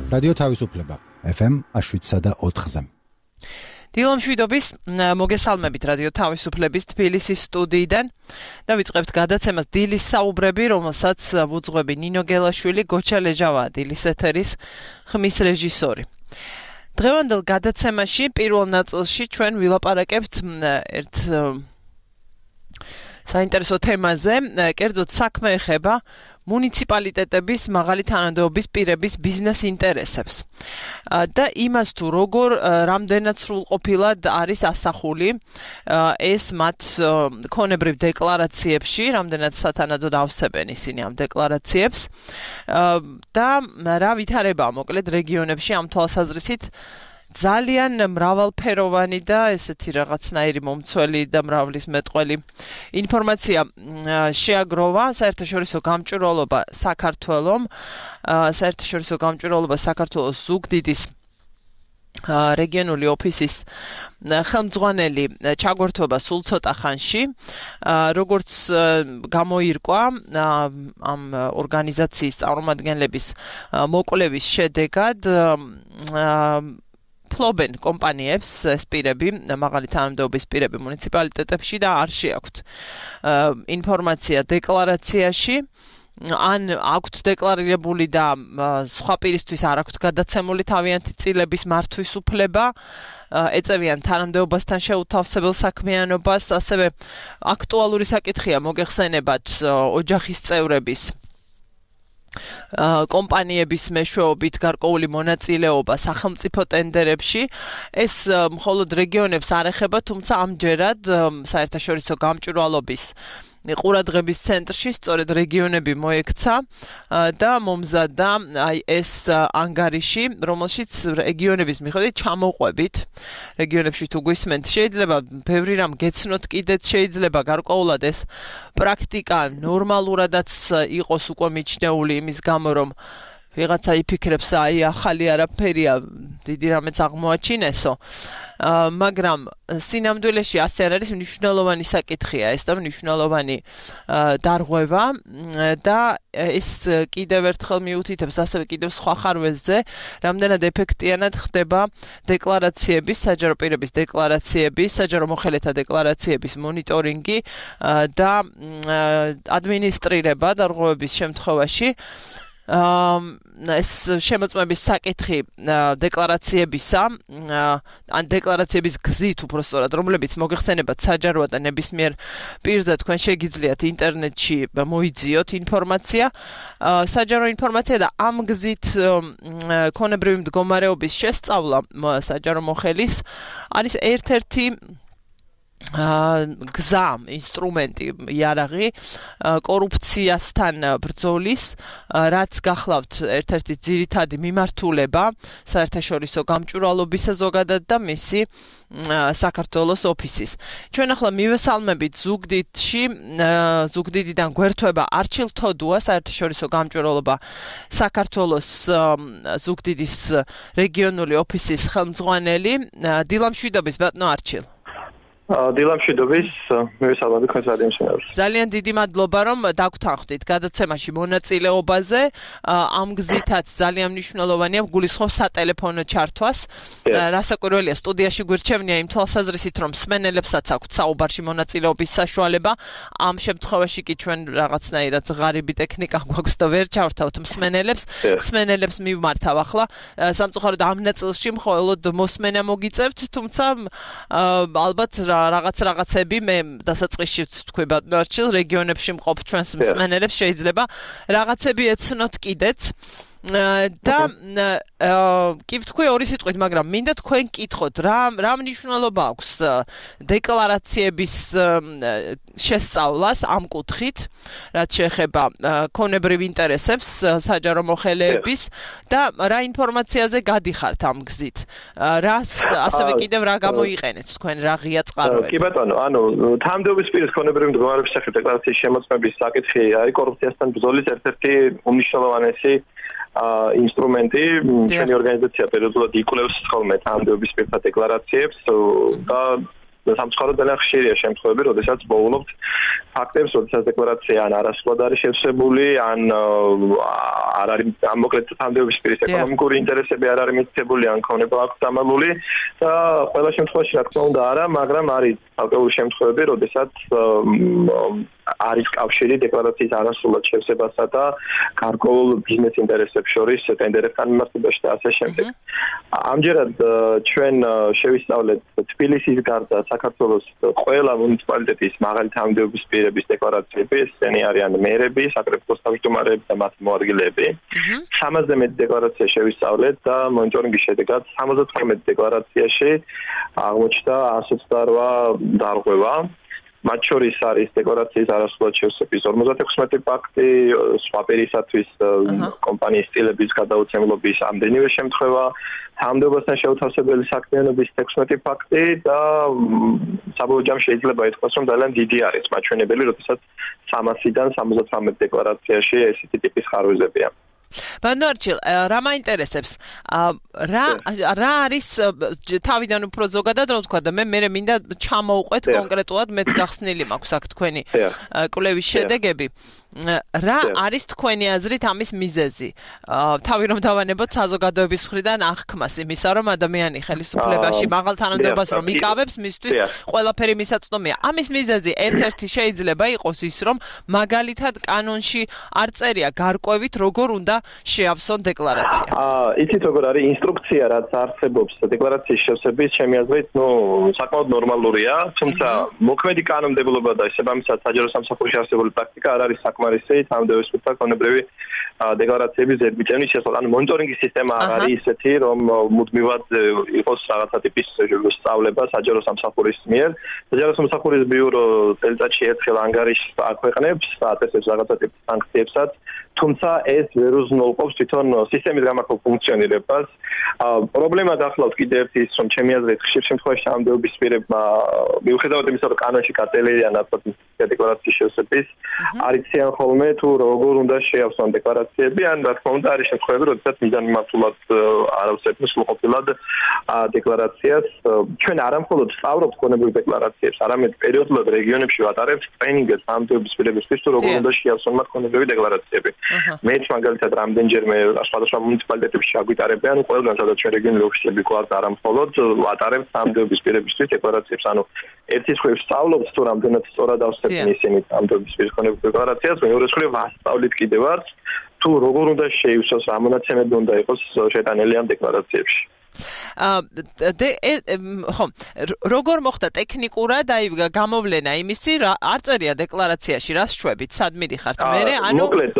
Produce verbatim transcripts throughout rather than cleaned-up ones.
რადიო თავისუფლება ეფ ემ შვიდსა და ოთხზე. დილომშვიდობის მოგესალმებით რადიო თავისუფლების თბილისის სტუდიიდან და ვიწყებთ გადაცემას დილის საუბრები, რომელსაც ვუძღვები ნინო გელაშვილი, გოჩა ლეჟავა, დილის ეთერის ხმის რეჟისორი. დღევანდელ გადაცემაში პირველ ნაწილში ჩვენ ვილაპარაკებთ ერთ საინტერესო თემაზე, კერძოდ საქმე ეხება მუნიციპალიტეტების მაღალი თანამდებობის პირების ბიზნეს ინტერესებს და იმას თუ როგორ რამდენად სრულყოფილად არის ასახული ეს მათ ქონებრივ დეკლარაციებში, რამდენად სათანადოდ ავსებენ ისინი ამ დეკლარაციებს და რა ვითარებაა მოკლედ რეგიონებში ამ თვალსაზრისით ძალიან მრავალფეროვანი და ესეთი რაღაცნაირი მომცველი და მრავლის მეტყველი ინფორმაცია შეაგროვა საერთაშორისო გამჭვირვალობა საქართველომ, საერთაშორისო გამჭვირვალობა საქართველოს ზუგდიდის რეგიონული ოფისის ხელმძღვანელი ჩაგვერთვება სულ ცოტა ხანში, როგორც გამოირკვა ამ ორგანიზაციის წარმომადგენლების მოკვლევის შედეგად ფლობენ კომპანიებს ეს პირები, მაღალი თანამდებობის პირები მუნიციპალიტეტებში და არ შეაქვთ ინფორმაცია დეკლარაციაში, ან აქვთ დეკლარირებული და სხვა პირისთვის არ აქვთ გადაცემული თავიანთი წილების მართვის უფლება, ეწევიან თანამდებობასთან შეუთავსებელ საქმიანობას, ასევე აქტუალური საკითხია მოგეხსენებათ ოჯახის წევრების კომპანიების მეშვეობით გარკვეული მონაწილეობა სახელმწიფო ტენდერებში. ეს მხოლოდ რეგიონებს არ ეხება, თუმცა ამჯერად საერთაშორისო გამჭვირვალობის ყურადღების ცენტრში სწორედ რეგიონები მოექცა და მომზადდა ეს ანგარიში, რომელშიც რეგიონების მიხედვით ჩამოყვებით. რეგიონებში თუ გვისმენთ, შეიძლება ბევრი რამ გეცნოთ კიდეც, შეიძლება გარკვეულად ეს პრაქტიკა ნორმალურადაც იყოს უკვე მიჩნეული იმის გამო, რომ ვიღაცა იფიქრებს, აი ახალი არაფერია, დიდი რამეც აღმოაჩინესო. მაგრამ სინამდვილეში ასე არ არის, მნიშვნელოვანი საკითხია ეს და მნიშვნელოვანი დარღვევა და ეს კიდევ ერთხელ მიუთითებს ასევე კიდევ სხვა ხარვეზზე, რამდენად ეფექტიანად ხდება დეკლარაციების, საჯარო პირების დეკლარაციების, საჯარო მოხელეთა დეკლარაციების მონიტორინგი და ადმინისტრირება დარღვევების შემთხვევაში. ეს შემოწმების საკითხი დეკლარაციებისა, ან დეკლარაციების გზით უბრალოდ, რომლებიც მოგეხსენებათ საჯაროა და ნებისმიერ პირზე თქვენ შეგიძლიათ ინტერნეტში მოიძიოთ ინფორმაცია, საჯარო ინფორმაცია და ამ გზით ქონებრივი მდგომარეობის შესწავლა საჯარო მოხელის არის ერთ-ერთი გზა, ინსტრუმენტი, იარაღი კორუფციასთან ბრძოლის, რაც გახლავთ ერთ-ერთი ძირითადი მიმართულება საერთაშორისო გამჭვირვალობისა ზოგადად და მისი საქართველოს ოფისის. ჩვენ ახლა მივესალმებით ზუგდიდში, ზუგდიდიდან გვერთვება არჩილ თოდუა, საერთაშორისო გამჭვირვალობა საქართველოს ზუგდიდის რეგიონული ოფისის ხელმძღვანელი. დილამშვიდობის ბატონო არჩილ. დილამშვიდობის, მივესალმები თქვენს რადიო მსმენელს. ძალიან დიდი მადლობა, რომ დაგვრთანხმდით გადაცემაში მონაწილეობაზე. ამ გზითაც ძალიან მნიშვნელოვანია გულისხმობ სატელეფონო ჩართვას. რასაკვირველია, სტუდიაში გვირჩევნია იმ თვალსაზრისით, რომ მსმენელებსაც აქვთ საუბარში მონაწილეობის საშუალება. ამ შემთხვევაში კი ჩვენ რაღაცნაირად ღარიბი ტექნიკა გვაქვს და ვერ ჩავრთავთ მსმენელებს. მსმენელებს მივმართავ ახლა. სამწუხაროდ ამ ნაწილში მხოლოდ მოსმენა მოგიწევთ, თუმცა ალბათ რაღაც რაღაცები მე დასაწყისში ვთქვი ბატონო არჩილ, რეგიონებში მყოფ ჩვენს მსმენელებს შეიძლება რაღაცები ეცნოთ კიდეც და კი ვთქვი ორი სიტყვით, მაგრამ მინდა თქვენ კითხოთ, რა რა მნიშვნელობა აქვს დეკლარაციების შესწავლას ამ კუთხით, რაც შეეხება ქონებრივ ინტერესებს საჯარო მოხელეების და რა ინფორმაციაზე გადიხართ ამ გზით. რას ასევე კიდევ რა გამოიყენეთ თქვენ, რა ღია წყაროები? კი ბატონო, ანუ თანამდებობის პირის ქონებრივი მდგომარეობის სახით დეკლარაციის შემოწმების საკითხი არის კორუფციასთან ბრძოლის ერთ-ერთი უმნიშვნელოვანესი ინსტრუმენტი. ჩვენი ორგანიზაცია პერიოდულად იკვლევს ხოლმე თანამდებობის პირთა დეკლარაციებს და სამწუხაროდ ძალიან ხშირია შემთხვევები, როდესაც მოულობთ ფაქტებს, როდესაც დეკლარაცია ან არასრულად არის შევსებული, ან არ არის მოკლედ თანამდებობის პირის ეკონომიკური ინტერესები არ არის მითითებული, ან ქონება აქვს დამალული და ყველა შემთხვევაში რა თქმა უნდა არა, მაგრამ არის ალკოჰოლის შემთხვევები, როდესაც არის კავშირი დეკლარაციის არასრულად შევსებასა და გარკვეულ ბიზნეს ინტერესებს შორის ტენდერებთან მიმართებაში და ასე შემდეგ. ამჯერად ჩვენ შევისწავლეთ თბილისის გარდა საქართველოს ყველა მუნიციპალიტეტის მაღალი თანამდებობის პირების დეკლარაციები, ესენი არიან მერები, საკრებულოს თავმჯდომარეები და მათი მოადგილეები. სამასზე მეტი დეკლარაცია შევისწავლეთ და მონიტორინგის შედეგად სამოცდათვრამეტი დეკლარაციაში აღმოჩნდა ასი ოცდაოთხ დარღვევა. მათ შორის არის დეკლარაციის არასრულად შევსების ორმოცდაექვსმეტი ფაქტი, სხვა პირისათვის კომპანიის სტილების გადაუცემლობის ამდენივე შემთხვევა, თანამდებობასთან შეუთავსებელი საქმიანობის ექვსმეტი ფაქტი და საბოლოო ჯამში შეიძლება ითქვას, რომ ძალიან დიდი არის მაჩვენებელი, როდესაც სამასიდან სამოცდათვრამეტ დეკლარაციაში ესეთი ტიპის ხარვეზებია. ბანო არჩილ, რა მაინტერესებს? რა რა არის თავიდან უფრო ზოგადად რომ თქვა და მე მე მინდა ჩამოვყვეთ კონკრეტულად მეც გახსნილი მაქვს აქ თქვენი კვლევის შედეგები. რა არის თქვენი აზრით ამის მიზეზი? თავი რომ დავანებოთ საზოგადოების მხრიდან აღქმას იმისა, რომ ადამიანი ხელისუფლებაში მაღალ თანამდებობას რომ იკავებს, მისთვის ყველაფერი მისაწვდომია. ამის მიზეზი ერთ-ერთი შეიძლება იყოს ის, რომ მაგალითად კანონში არ წერია გარკვევით როგორ უნდა შეავსონ დეკლარაცია. აა, იცით როგორ არის ინსტრუქცია, რაც არსებობს დეკლარაციის შევსების, ჩემი აზრით, ნუ საკმაოდ ნორმალურია, თუმცა მოქმედი კანონმდებლობა და შესაბამისად საჯარო სამსახურში არსებული პრაქტიკა არ არის საკმარისი თანამდებობის პირთა კანონმდებლობის დეკლარაციების ზედმიწევნის შესახებ. ანუ მონიტორინგის სისტემა არ არის ისეთი, რომ მუდმივად იყოს რაღაცა ტიპის სწავლება საჯარო სამსახურის მიერ. საჯარო სამსახურის ბიურო წელიწადში ერთხელ ანგარიშს აქვეყნებს, აწესებს რაღაცა ტიპის სანქციებსაც, თუმცა ეს ვერ უზრუნველყოფს თვითონ სისტემის გამართულ ფუნქციონირებას. პრობლემა გახლავთ კიდევ ერთი ის, რომ ჩემი აზრით ხშირ შემთხვევაში თანამდებობის პირებმა მიუხედავად იმისა, რომ კანონში გაწელილია ნაცვლად დეკლარაციის შევსების, არ იციან ხოლმე თუ როგორ უნდა შეავსონ დეკლარაციები, ან რა თქმა უნდა არის შემთხვევები, როდესაც მიზანმიმართულად არ ავსებენ სრულყოფილად დეკლარაციას. ჩვენ არა მხოლოდ სწავლობთ ქონებრივ დეკლარაციებს, არამედ პერიოდულად რეგიონებში ვატარებთ ტრენინგებს თანამდებობის პირებისთვის, თუ როგორ უნდა შეავსონ მათ ქონებრივი დეკლარაციები. მეც მაგალითად რამდენჯერმე სხვადასხვა მუნიციპალიტეტებში აგვიტარებიან, ყველგან სადაც ჩვენ რეგიონული ოფისები გვაქვს, არა მხოლოდ ვატარებთ თანამდებობის პირებისთვის დეკლარაციებს. ანუ ერთის მხრივ სწავლობთ თუ რამდენად სწორად ავსებენ ისინი თანამდებობის პირის ქონებრივ დეკლარაციას, მეორეს მხრივ ვასწავლით კიდევაც თუ როგორ უნდა შეივსოს, რა მონაცემები უნდა იყოს შეტანილი ამ დეკლარაციებში. აა ხო, როგორ მოხდა ტექნიკურად აი გამოვლენა იმისი, არ წერია დეკლარაციაში რას შვებით, სად მიდიხართ მერე, ანუ მოკლედ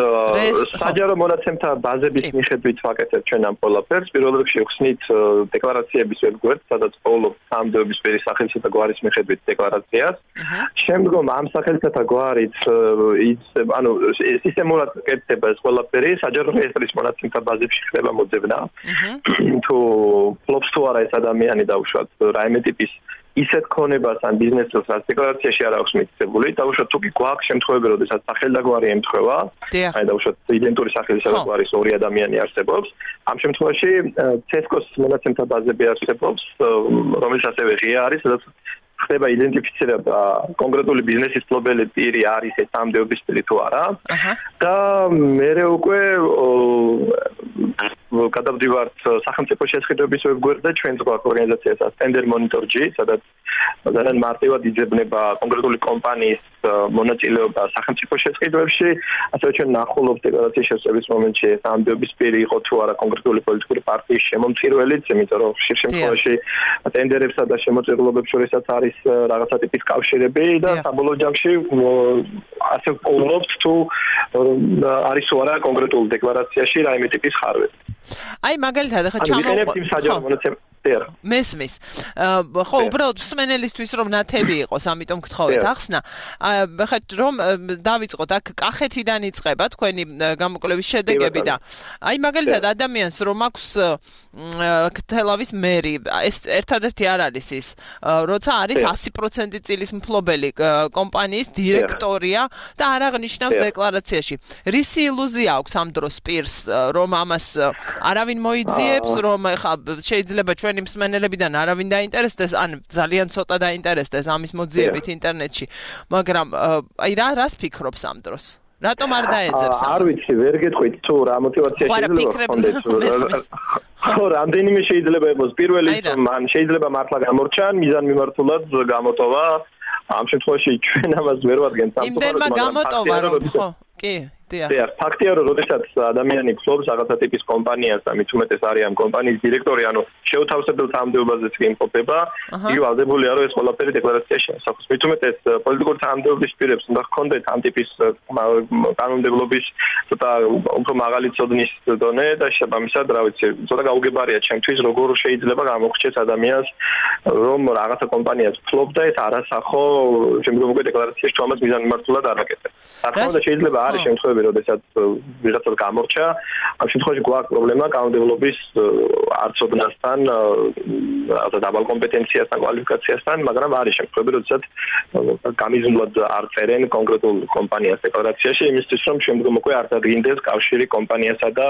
საჯარო მონაცემთა ბაზების მიხედვით ვაკეთებთ ჩვენ ამ ყველაფერს. პირველ რიგში ვხსნით დეკლარაციების ვებგვერდს, სადაც პოულობთ თანამდებობის პირის სახელისა და გვარის მიხედვით დეკლარაციას. შემდგომ ამ სახელისა და გვარით ანუ სისტემურად კეთდება ეს ყველაფერი, საჯარო რეესტრის მონაცემთა ბაზებში ხდება მოძებნა. თუ ფლობს თუ არა ეს ადამიანი დაუშვათ რაიმე ტიპის ისეთ ქონებას ან ბიზნესს რაც დეკლარაციაში არ აქვს მითითებული, დაუშვათ თუ კი გვაქვს შემთხვევები, როდესაც სახელი და გვარი ემთხვევა, აი დაუშვათ იდენტური სახელისა და გვარის ორი ადამიანი არსებობს, ამ შემთხვევაში ცესკოს მონაცემთა ბაზები არსებობს, რომელიც ასევე ღია არის, სადაც ხდება იდენტიფიცირება კონკრეტული ბიზნესის მფლობელი პირი არის ეს თანამდებობის პირი თუ არა. და მერე უკვე გადავდივართ სახელმწიფო შესყიდვების ვებგვერდზე, ჩვენს გვაქვს ორგანიზაციასაც Tender Monitor-ი, სადაც ძალიან მარტივად იძებნება კონკრეტული კომპანიის მონაწილეობა სახელმწიფო შესყიდვებში, ასევე ჩვენ ნახულობთ დეკლარაციის შევსების მომენტში ეს თანამდებობის პირი იყო თუ არა კონკრეტული პოლიტიკური პარტიის შემომწირველიც, იმიტომ რომ ხშირ შემთხვევაში ტენდერებსა და შემოწირულობებს შორისაც არის რაღაცა ტიპის კავშირები და საბოლოო ჯამში ასე ვპოულობთ თუ არის თუ არა კონკრეტულ დეკლარაციაში რაიმე ტიპის ხარვეზი. აი მაგალითად ახლა ჩამოვყო მესმის. ხო, უბრალოდ მსმენელისთვის რომ ნათელი იყოს, ამიტომ გთხოვეთ ახსნა. ახლა რომ დავიწყოთ აქ კახეთიდან იწყება თქვენი გამოკვლევის შედეგები და აი მაგალითად ადამიანს რომ აქვს თელავის მერი, ეს ერთადერთი არ არის ის, როცა არის ასი პროცენტი წილის მფლობელი კომპანიის დირექტორია და არ აღნიშნავს დეკლარაციაში. რისი ილუზია აქვს ამ დროს პირს, რომ ამას არავინ მოიძიებს, რომ ახლა შეიძლება ჩვენი მსმენელებიდან არავინ დაინტერესდეს, ან ძალიან ცოტა დაინტერესდეს ამის მოძიებით ინტერნეტში, მაგრამ აი რა რას ფიქრობს ამ დროს? რატომ არ დაეძებს ამას? არ ვიცი, ვერ გეტყვით თუ რა мотиваცია შეიძლება ჰქონდეს. ხო, რამდენიმე შეიძლება იყოს. პირველი მან შეიძლება მართლა გამორჩან, მიზანმიმართულად გამოტოვა. ამ შემთხვევაში ჩვენ ამას ვერ ვადგენთ სამწუხაროდ, მაგრამ გამოტოვა რომ ხო, კი, დიახ. დიახ, ფაქტია რომ როდესაც ადამიანი ფლობს რაღაცა ტიპის კომპანიას და მით უმეტეს არის ამ კომპანიის დირექტორი, ანუ შეუთავსებელ თანამდებობაზეც კი იმყოფება, იგი ვალდებულია რომ ეს ყველაფერი დეკლარაციაში ასახოს. მით უმეტეს პოლიტიკური თანამდებობის პირებს უნდა ჰქონდეთ ამ ტიპის კანონმდებლობის ცოტა უფრო მაღალი ცოდნის დონე და შესაბამისად, რა ვიცი, ცოტა გაუგებარია ჩემთვის, როგორ შეიძლება გამოგვჭეს ადამიანს, რომ რაღაცა კომპანიას ფლობდა, ეს არასახო შემდგომი დეკლარაციაში თუ ამას მიზანმიმართულად არ აკეთებს. რა თქმა უნდა, შეიძლება არის შემთხვევები, როდესაც ვიღაცას გამორჩა, ამ შემთხვევაში გვაქვს პრობლემა კანონმდებლობის არცოდნასთან, რაღაცა დაბალ კომპეტენციასთან, კვალიფიკაციასთან, მაგრამ არის შემთხვევები, როდესაც გამიზნულად არ წერენ კონკრეტულ კომპანიას დეკლარაციაში, იმისთვის რომ შემდგომ უკვე არ დადგინდეს კავშირი კომპანიასა და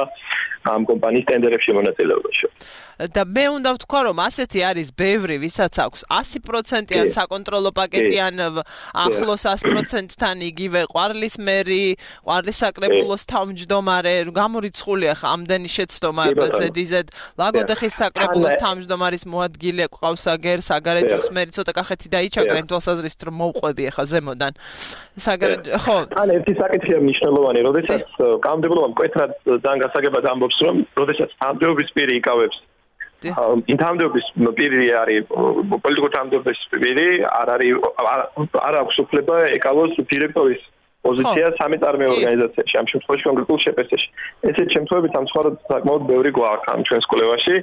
ამ კომპანიის ტენდერებში მონაწილეობაში. და მე უნდა ვთქვა, რომ ასეთი არის ბევრი, ვისაც აქვს ასი პროცენტიან საკონტროლო პაკეტი ან ახლოს ას პროცენტთან იგივე ყვარლის მერი, ყვარლის საკრებულოს თავმჯდომარე, გამორიცხულია ხა ამდენი შეცდომა ზედიზედ ლაგოდეხის საკრებულოს თავმჯდომარის მოადგილე ყავს აგერ საგარეჯოს მერი ცოტა კახეთი დაიჩაგრენ თვალსაზრისით რომ მოვყვები ხა ზემოდან საგარეჯო ხო ან ერთი საკითხია მნიშვნელოვანი, როდესაც კანონმდებლობა მკვეთრად ძალიან გასაგებად ამბობს, რომ როდესაც თანამდებობის პირი იკავებს იმ თანამდებობის პირი არის პოლიტიკური თანამდებობის პირი, არ არის არ აქვს უფლება ეკავოს დირექტორის პოზიცია სამეწარმეო ორგანიზაციაში, ამ შემთხვევაში კონკრეტულ შეპესეში. ესეთ შემთხვევები სამწუხაროდ საკმაოდ ბევრი გვაქვს ამ ჩვენს კვლევაში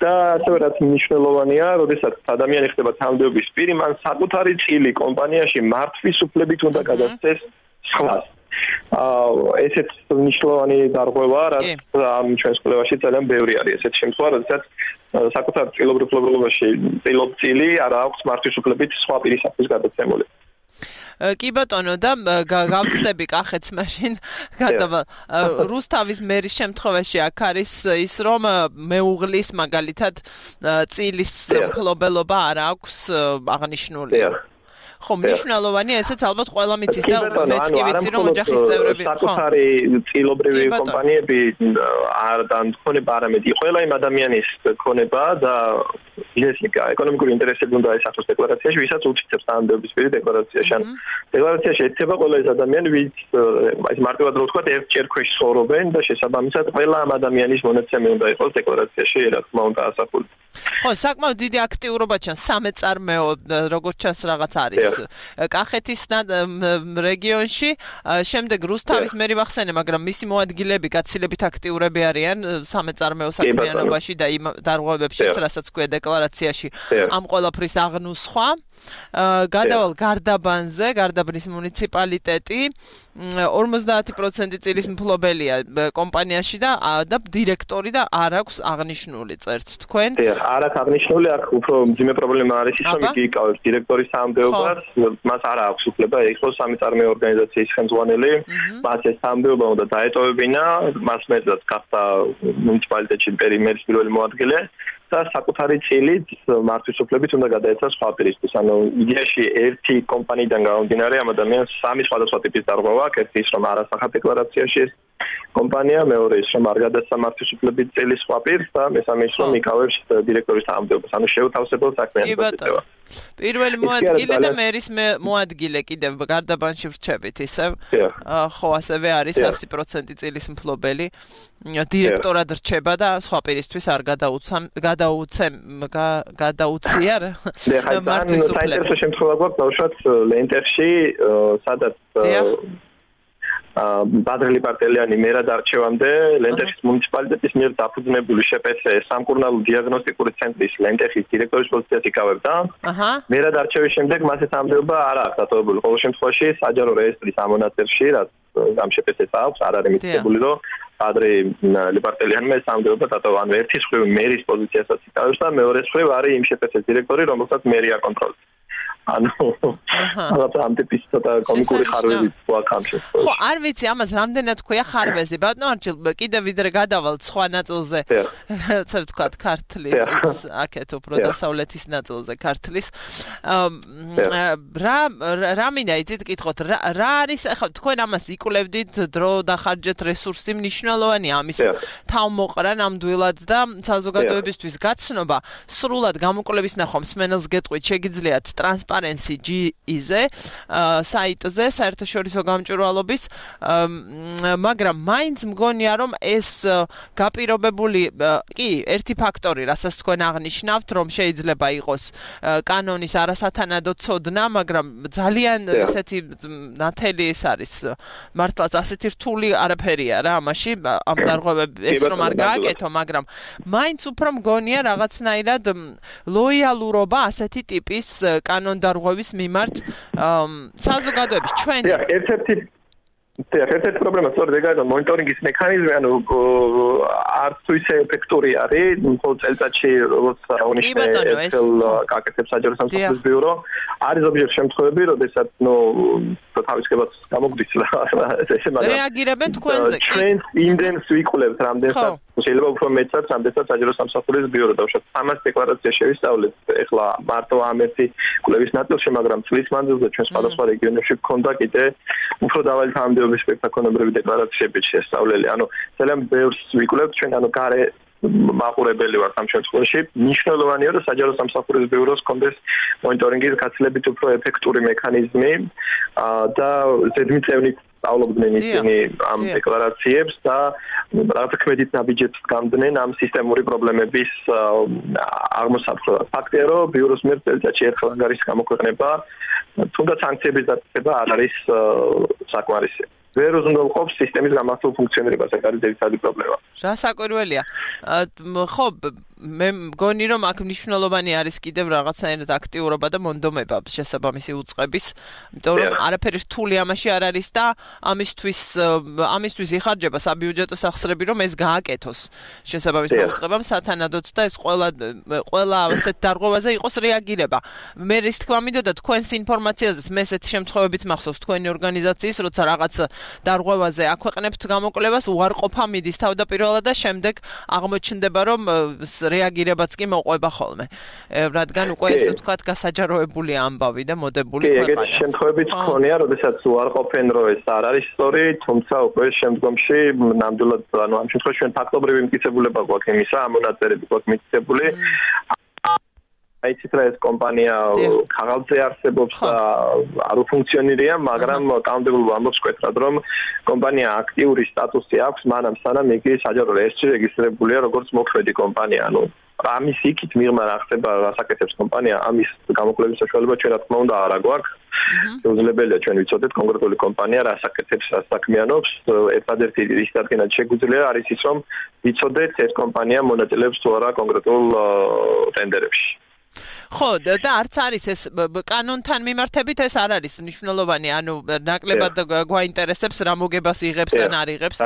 და ასევე რაც მნიშვნელოვანია, როდესაც ადამიანი ხდება თანამდებობის პირი, მან საკუთარი წილი კომპანიაში მართვის უფლებით უნდა გადასცეს სხვას. ესეთ მნიშვნელოვანი დარღვევა, რაც ამ ჩვენს კვლევაში ძალიან ბევრი არის. ესეთ შემთხვევა, როდესაც საკუთარ წილობრივ ფლობელობაში წილი არ აქვს მართვის უფლებით სხვა პირისათვის გადაცემული. კი ბატონო და გავწდები კახეთს მაშინ გადავა რუსთავის მერის შემთხვევაში აქ არის ის რომ მეუღლის მაგალითად წილის ფლობელობა არ აქვს აღნიშნული ხო მნიშვნელოვანია ესეც ალბათ ყველა მიცის და მეც კი ვიცი რომ ოჯახის წევრები ხო საკუთარი წილობრივი კომპანიები არ დანქონება არამედ ყველა იმ ადამიანის ქონება და ბიზნესიკა ეკონომიკური ინტერესები უნდა ესახოს დეკლარაციაში, ვისაც უჩნდება თანამდებობის პირი დეკლარაციაში. ან დეკლარაციაში ეთება ყველა ეს ადამიანი, ვინც აი მარტივად რო ვთქვა, ერთჯერ ქვეშ ცხოვრობენ და შესაბამისად ყველა ამ ადამიანის მონაცემი უნდა იყოს დეკლარაციაში, რა თქმა უნდა ასახული. ხო, საკმაოდ დიდი აქტიურობა ჩანს სამეწარმეო, როგორც ჩანს რაღაც არის. კახეთის რეგიონში, შემდეგ რუსთავის მერი ვახსენე, მაგრამ მისი მოადგილეები გაცილებით აქტიურები არიან სამეწარმეო საქმიანობაში და იმ დარღვევებშიც, რასაც ქვია დეკლარაციაში ამ ყველაფრის აღნუსხვა. გადავალ გარდაბანზე, გარდაბნის მუნიციპალიტეტი ორმოცდაათი პროცენტი წილის მფლობელია კომპანიაში და და დირექტორი და არ აქვს აღნიშნული წერც თქვენ. არ აქვს აღნიშნული, აქ უფრო მძიმე პრობლემა არის ის, რომ იგი იკავებს დირექტორის თანამდებობას, მას არ აქვს უფლება იყოს სამეწარმეო ორგანიზაციის ხელმძღვანელი, მას ეს თანამდებობა უნდა დაეტოვებინა, მას მეტად გახდა მუნიციპალიტეტში პერიმერის პირველი მოადგილე. და საკუთარი წილით მართვის უფლებით უნდა გადაეცა სხვა პირისთვის. ანუ იდეაში ერთი კომპანიიდან გამომდინარე ამ ადამიანს სამი სხვადასხვა ტიპის დარღვევა აქვს. ერთი ის რომ არ ასახა დეკლარაციაში ეს კომპანია, მეორე ის რომ არ გადაეცა მართვის უფლებით წილი სხვა პირს და მესამე ის რომ იკავებს დირექტორის თანამდებობას. ანუ შეუთავსებელ საქმიანობას იწევა. პირველი მოადგილე და მერის მოადგილე კიდევ გარდაბანში ვრჩებით ისევ. ხო, ასევე არის ასი პროცენტი წილის მფლობელი. დირექტორად რჩება და სხვა პირისთვის არ გადაუცემ გადაუცემ გადაუცია მართვის უფლება. საინტერესო შემთხვევა გვაქვს ბავშვად ლენტერში, სადაც ბადრელი პარტელიანი მერად არჩევამდე ლენტერის მუნიციპალიტეტის მიერ დაფუძნებული შეპესე სამკურნალო დიაგნოსტიკური ცენტრის ლენტერის დირექტორის პოზიციას იკავებდა. მერად არჩევის შემდეგ მას ეს ამდეობა არ აქვს დატოვებული. ყოველ შემთხვევაში საჯარო რეესტრის ამონაწერში, რაც ამ შეპესეს აქვს, არ არის მითითებული, რომ ადრე ლიპარტელიანმა ეს ამდეობა დატოვა. ანუ ერთი მხრივ მერის პოზიციასაც იკავებს და მეორე მხრივ არის იმ შეპესეს დირექტორი, რომელსაც მერი აკონტროლებს. ანუ რაღაც ამ ტიპის ცოტა კომიკური ხარვეზი გვაქვს. ხო, არ ვიცი ამას რამდენად ქვია ხარვეზი. ბატონო არჩილ, კიდევ ვიდრე გადავალ სხვა ნაწილზე. ასე ვთქვათ, ქართლის, აქეთ უფრო დასავლეთის ნაწილზე ქართლის. რა რა მინდა იცით კითხოთ, რა არის ახლა თქვენ ამას იკვლევდით, დრო დახარჯეთ, რესურსი მნიშვნელოვანია ამის თავმოყრა ნამდვილად და საზოგადოებისთვის გაცნობა, სრულად გამოკვლევის ნახვა მსმენელს გეტყვით, შეგიძლიათ ტრანსპარენსი ჯი ი-ზე, საიტზე, საერთაშორისო გამჭვირვალობის, მაგრამ მაინც მგონია, რომ ეს გაპირობებული, კი, ერთი ფაქტორი, რასაც თქვენ აღნიშნავთ, რომ შეიძლება იყოს კანონის არასათანადო ცოდნა, მაგრამ ძალიან ესეთი ნათელი ეს არის, მართლაც ასეთი რთული არაფერია რა ამაში, ამ დარღვევებს რომ არ გააკეთო, მაგრამ მაინც უფრო მგონია რაღაცნაირად ლოიალურობა ასეთი ტიპის კანონდარღვევის მიმართ საზოგადოების ჩვენი ერთ-ერთი ერთ-ერთი პრობლემა სწორედ ეგაა, რომ მონიტორინგის მექანიზმი ანუ არც თუ ისე ეფექტური არის, მხოლოდ წელიწადში როგორც აღნიშნე აკეთებს საჯარო სამსახურის ბიურო, არის ზოგიერთ შემთხვევები, როდესაც ნუ თავისკებაც გამოგვდის ესე მაგრამ რეაგირებენ თქვენზე კი ჩვენ იმდენს ვიკვლევთ რამდენსაც შეიძლება უფრო მეტსაც რამდენსაც საჯარო სამსახურის ბიურო დავუშვათ სამას დეკლარაცია შევისწავლეთ ეხლა მარტო ამ ერთი კვლევის ნაწილში მაგრამ წლის მანძილზე ჩვენ სხვადასხვა რეგიონებში გქონდა კიდე უფრო დაბალი თანამდებობის სპექტაკონებრივი დეკლარაციები შესწავლელი ანუ ძალიან ბევრს ვიკვლევთ ჩვენ ანუ გარე მაყურებელი ვართ ამ შემთხვევაში მნიშვნელოვანია რომ საჯარო სამსახურის ბიუროს კონდეს მონიტორინგის გაცილებით უფრო ეფექტური მექანიზმი და ზედმიწევნით სწავლობდნენ ისინი ამ დეკლარაციებს და რაღაც ქმედით ნაბიჯებს გამდნენ ამ სისტემური პრობლემების აღმოსაყრელად. ფაქტია რომ ბიუროს მიერ წელიწადში ერთხელ ანგარიშის გამოქვეყნება თუნდაც სანქციების დაწესება არ არის საკმარისი. ვერ უზრუნველყოფს სისტემის გამართულ ფუნქციონირებას, ეს არის ძირითადი პრობლემა. რა საკვირველია. ხო, მე მგონი რომ აქ მნიშვნელოვანი არის კიდევ რაღაცაერად აქტიურობა და მონდომება შესაბამისი უწყების, იმიტომ რომ არაფერი რთული ამაში არ არის და ამისთვის ამისთვის იხარჯება საბიუჯეტო სახსრები რომ ეს გააკეთოს შესაბამისმა უწყებამ სათანადოდ და ეს ყველა ყველა ასეთ დარღვევაზე იყოს რეაგირება. მე რის თქმა მინდოდა თქვენს ინფორმაციაზეც მე ესეთ შემთხვევებიც მახსოვს თქვენი ორგანიზაციის, როცა რაღაც დარღვევაზე აქვეყნებთ გამოკვლევას უარყოფა მიდის თავდაპირველად და შემდეგ აღმოჩნდება რომ რეაგირებაც კი მოყვება ხოლმე. რადგან უკვე ესე ვთქვათ გასაჯაროებული ამბავი და მოდებული ქვეყანა. ეგეთი შემთხვევებიც ქონია, როდესაც უარყოფენ რომ ეს არ არის სწორი, თუმცა უკვე შემდგომში ნამდვილად ანუ ამ შემთხვევაში ჩვენ ფაქტობრივი მტკიცებულება გვაქვს იმისა, ამ მონაწერები გვაქვს მტკიცებული. აიცით რა ეს კომპანია ხალხზე არსებობს და არ უფუნქციონირია, მაგრამ კანონმდებლობა ამბობს კვეთრად, რომ კომპანია აქტიური სტატუსი აქვს, მანამ სანამ იგი საჯარო რეესტრში რეგისტრირებულია როგორც მოქმედი კომპანია. ანუ ამის იქით მიღმა რა ხდება, რას აკეთებს კომპანია, ამის გამოკვლევის საშუალება ჩვენ რა თქმა უნდა არ აქვს. შეუძლებელია ჩვენ ვიცოდეთ კონკრეტული კომპანია რას აკეთებს, რას საქმიანობს. ერთადერთი რის დადგენად შეგვიძლია არის ის, რომ ვიცოდეთ ეს კომპანია მონაწილეობს თუ არა კონკრეტულ ტენდერებში. ხო და არც არის ეს კანონთან მიმართებით ეს არ არის მნიშვნელოვანი ანუ ნაკლებად გვაინტერესებს რა მოგებას იღებს ან არ იღებს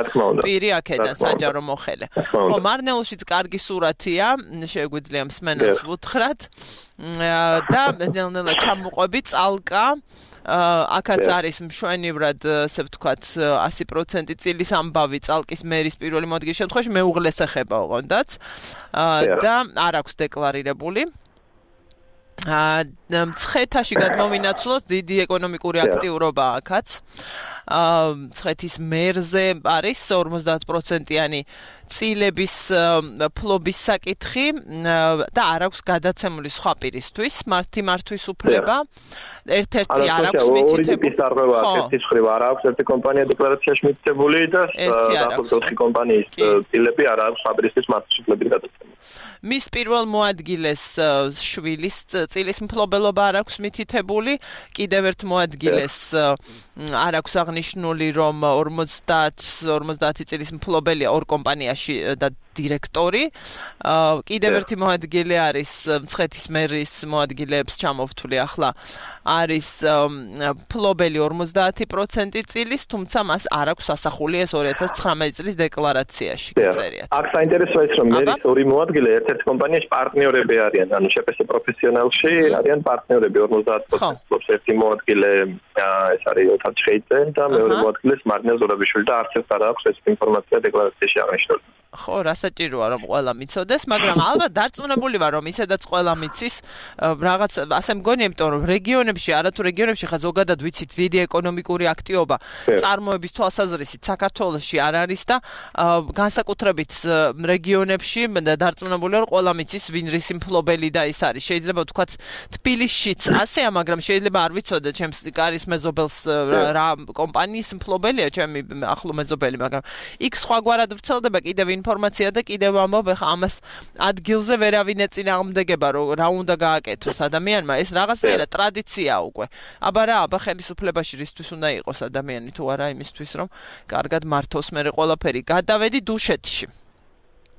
პირი აქედან საჯარო მოხელე ხო მარნეულშიც კარგი სურათია შეგვიძლია მსმენელს ვუთხრათ და ნელ-ნელა ჩამოყვები წალკა აქაც არის მშვენივრად ასე ვთქვათ ასი პროცენტი წილის ამბავი წალკის მერის პირველი მოდგის შემთხვევაში მეუღლეს ეხება ოღონდაც და არ აქვს დეკლარირებული მცხეთაში გადმოვინაცვლოთ დიდი ეკონომიკური აქტიურობა აქაც მცხეთის მერზე არის ორმოცდაათ პროცენტიანი წილების ფლობის საკითხი და არ აქვს გადაცემული სხვა პირისთვის მართი მართვის უფლება ერთ-ერთი არ აქვს მითითებული ერთი ხრივ არ აქვს ერთი კომპანია დეკლარაციაში მითითებული და ოთხი კომპანიის წილები არ აქვს სხვა პირისთვის მართვის უფლებით გადაცემული მის პირველ მოადგილეს შვილის წილის მფლობელობა არ აქვს მითითებული კიდევ ერთ მოადგილეს არ აქვს აღნიშნული რომ ორმოცდაათ ორმოცდაათი წილის მფლობელია ორ კომპანიაში და დირექტორი. კიდევ ერთი მოადგილე არის მცხეთის მერის მოადგილეებს ჩამოვთვლი ახლა არის ფლობელი ორმოცდაათი პროცენტი წილის, თუმცა მას არ აქვს ასახული ეს ორი ათას ცხრამეტი წლის დეკლარაციაში გწერიათ. აქ საინტერესოა ის, რომ მერის ორი მოადგილე ერთ-ერთ კომპანიაში პარტნიორები არიან, ანუ შეფეს პროფესიონალში არიან პარტნიორები ორმოცდაათი პროცენტს ერთი მოადგილე ეს არის ოთარ ჩხეიძე და მეორე მოადგილეს მარნელ ზურაბიშვილი და არც ერთ არ აქვს ეს ინფორმაცია დეკლარაციაში აღნიშნული. ხო, რასაჭიროა რომ ყველა მიცოდეს, მაგრამ ალბათ დარწმუნებული ვარ რომ ისედაც ყველა მიცის რაღაც ასე მგონია, იმიტომ რომ რეგიონებში, არათუ რეგიონებში ხა ზოგადად ვიცით დიდი ეკონომიკური აქტივობა წარმოების თვალსაზრისით საქართველოში არ არის და განსაკუთრებით რეგიონებში დარწმუნებული ვარ ყველა მიცის ვინ რისი მფლობელი და ის არის. შეიძლება ვთქვათ თბილისშიც ასეა, მაგრამ შეიძლება არ ვიცოდე ჩემს კარის მეზობელს რა კომპანიის მფლობელია ჩემი ახლო მეზობელი, მაგრამ იქ სხვაგვარად ვრცელდება კიდევ ინფორმაცია და კიდევ ამბობ ხა ამას ადგილზე ვერავინ ეწინააღმდეგება რომ რა უნდა გააკეთოს ადამიანმა, ეს რაღაცნაირად ტრადიციაა უკვე. აბა რა, აბა ხელისუფლებაში რისთვის უნდა იყოს ადამიანი თუ არა იმისთვის რომ კარგად მართოს მერე ყველაფერი. გადავედი დუშეთში.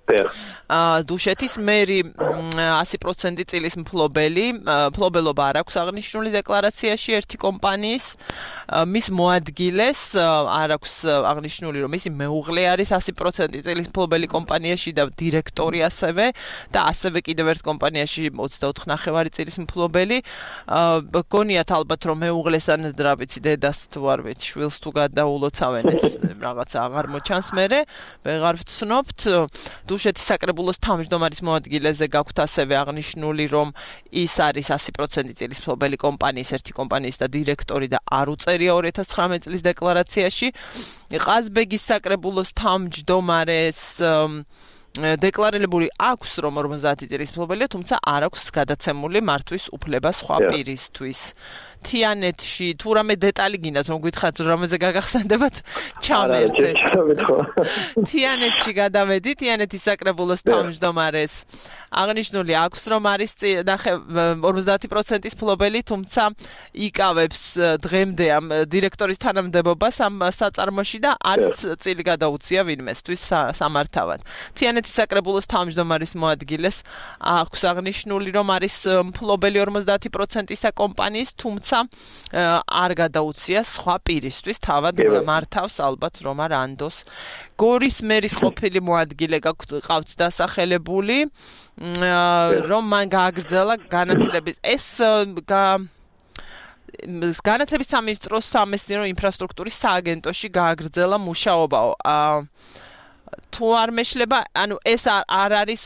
აა დუშეთის მერი ასი პროცენტი წილის მფლობელი, მფლობელობა არ აქვს აღნიშნული დეკლარაციაში ერთი კომპანიის, მის მოადგილეს არ აქვს აღნიშნული რომ ისი მეუღლე არის ასი პროცენტი წილის მფლობელი კომპანიაში და დირექტორი ასევე და ასევე კიდევ ერთ კომპანიაში ოცდაოთხი ნახევარი წილის მფლობელი. გონიათ ალბათ რომ მეუღლეს ან რა ვიცი დედას თუ არ ვიცი შვილს თუ გადაულოცავენ ეს რაღაცა აღარ მოჩანს მერე, ვეღარ ვცნობთ. დუშეთის საკრებულოს თავმჯდომარის მოადგილეზე გაქვთ ასევე აღნიშნული რომ ის არის ასი პროცენტი წილის მფლობელი კომპანიის ერთი კომპანიის და დირექტორი და არ უწერია ორი ათას ცხრამეტი წლის დეკლარაციაში. ყაზბეგის საკრებულოს თავმჯდომარეს დეკლარირებული აქვს რომ ორმოცდაათი წლის მფლობელია, თუმცა არ აქვს გადაცემული მართვის უფლება სხვა პირისთვის. თიანეთში თუ რამე დეტალი გინდათ რომ გითხრათ რამეზე გაგახსენდებათ ჩამერთეთ. თიანეთში გადავედი, თიანეთის საკრებულოს თავმჯდომარეს აღნიშნული აქვს რომ არის ორმოცდაათი პროცენტის მფლობელი, თუმცა იკავებს დღემდე ამ დირექტორის თანამდებობას ამ საწარმოში და არც წილი გადაუცია ვინმესთვის სამართავად. თიანეთის საკრებულოს თავმჯდომარის მოადგილეს აქვს აღნიშნული რომ არის მფლობელი ორმოცდაათი პროცენტისა კომპანიის, თუმცა არ გადაუცია სხვა პირისთვის, თავად მართავს ალბათ რომა რანდოს. გორის მერის ყოფილი მოადგილე გყავთ დასახელებული, რომ მან გააგრძელა განათლების ეს განათლების სამინისტროს სამეცნიერო ინფრასტრუქტურის სააგენტოში გააგრძელა მუშაობა. თუ არ მეშლება, ანუ ეს არ არის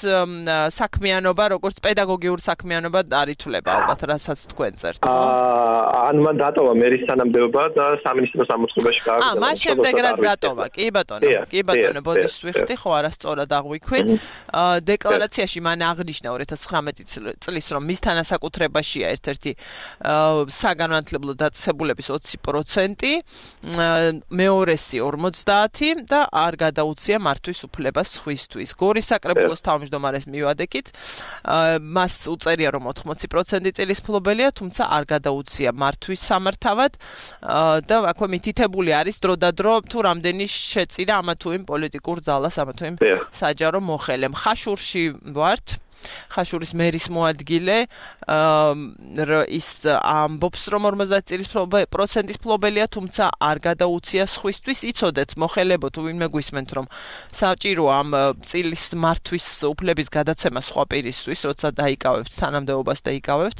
საქმიანობა, როგორც პედაგოგიური საქმიანობა არ ითვლება ალბათ, რასაც თქვენ წერთ. აა, ანუ მან დატოვა მერის თანამდებობა და სამინისტროს ამოწყებაში გააგრძელა. აა, მას შემდეგ რაც დატოვა, კი ბატონო, კი ბატონო, ბოდიშ ვიხდი, ხო, არასწორად აღვიქვი. აა, დეკლარაციაში მან აღნიშნა ორი ათას ცხრამეტი წლის რომ მის თანასაკუთრებაშია ერთ-ერთი საგანმანათლებლო დაწესებულების ოცი პროცენტი, მეორესი ორმოცდაათი და არ გადაუცია მართვის უფლებას სხვისთვის. გორის საკრებულოს თავმჯდომარეს მივადექით, მას უწერია რომ ოთხმოცი პროცენტი წილის მფლობელია, თუმცა არ გადაუცია მართვის სამართავად და აქვე მითითებული არის დრო და დრო თუ რამდენი შეწირა ამა თუ იმ პოლიტიკურ ძალას, ამა თუ იმ საჯარო მოხელემ. ხაშურში ვართ. ხაშურის მერის მოადგილე ის ამბობს რომ ორმოცდაათი წლის პროცენტის მფლობელია, თუმცა არ გადაუცია სხვისთვის. იცოდეთ მოხელებო თუ ვინმე გვისმენთ რომ საჭიროა ამ წილის მართვის უფლების გადაცემა სხვა პირისთვის, როცა დაიკავებთ თანამდებობას და იკავებთ.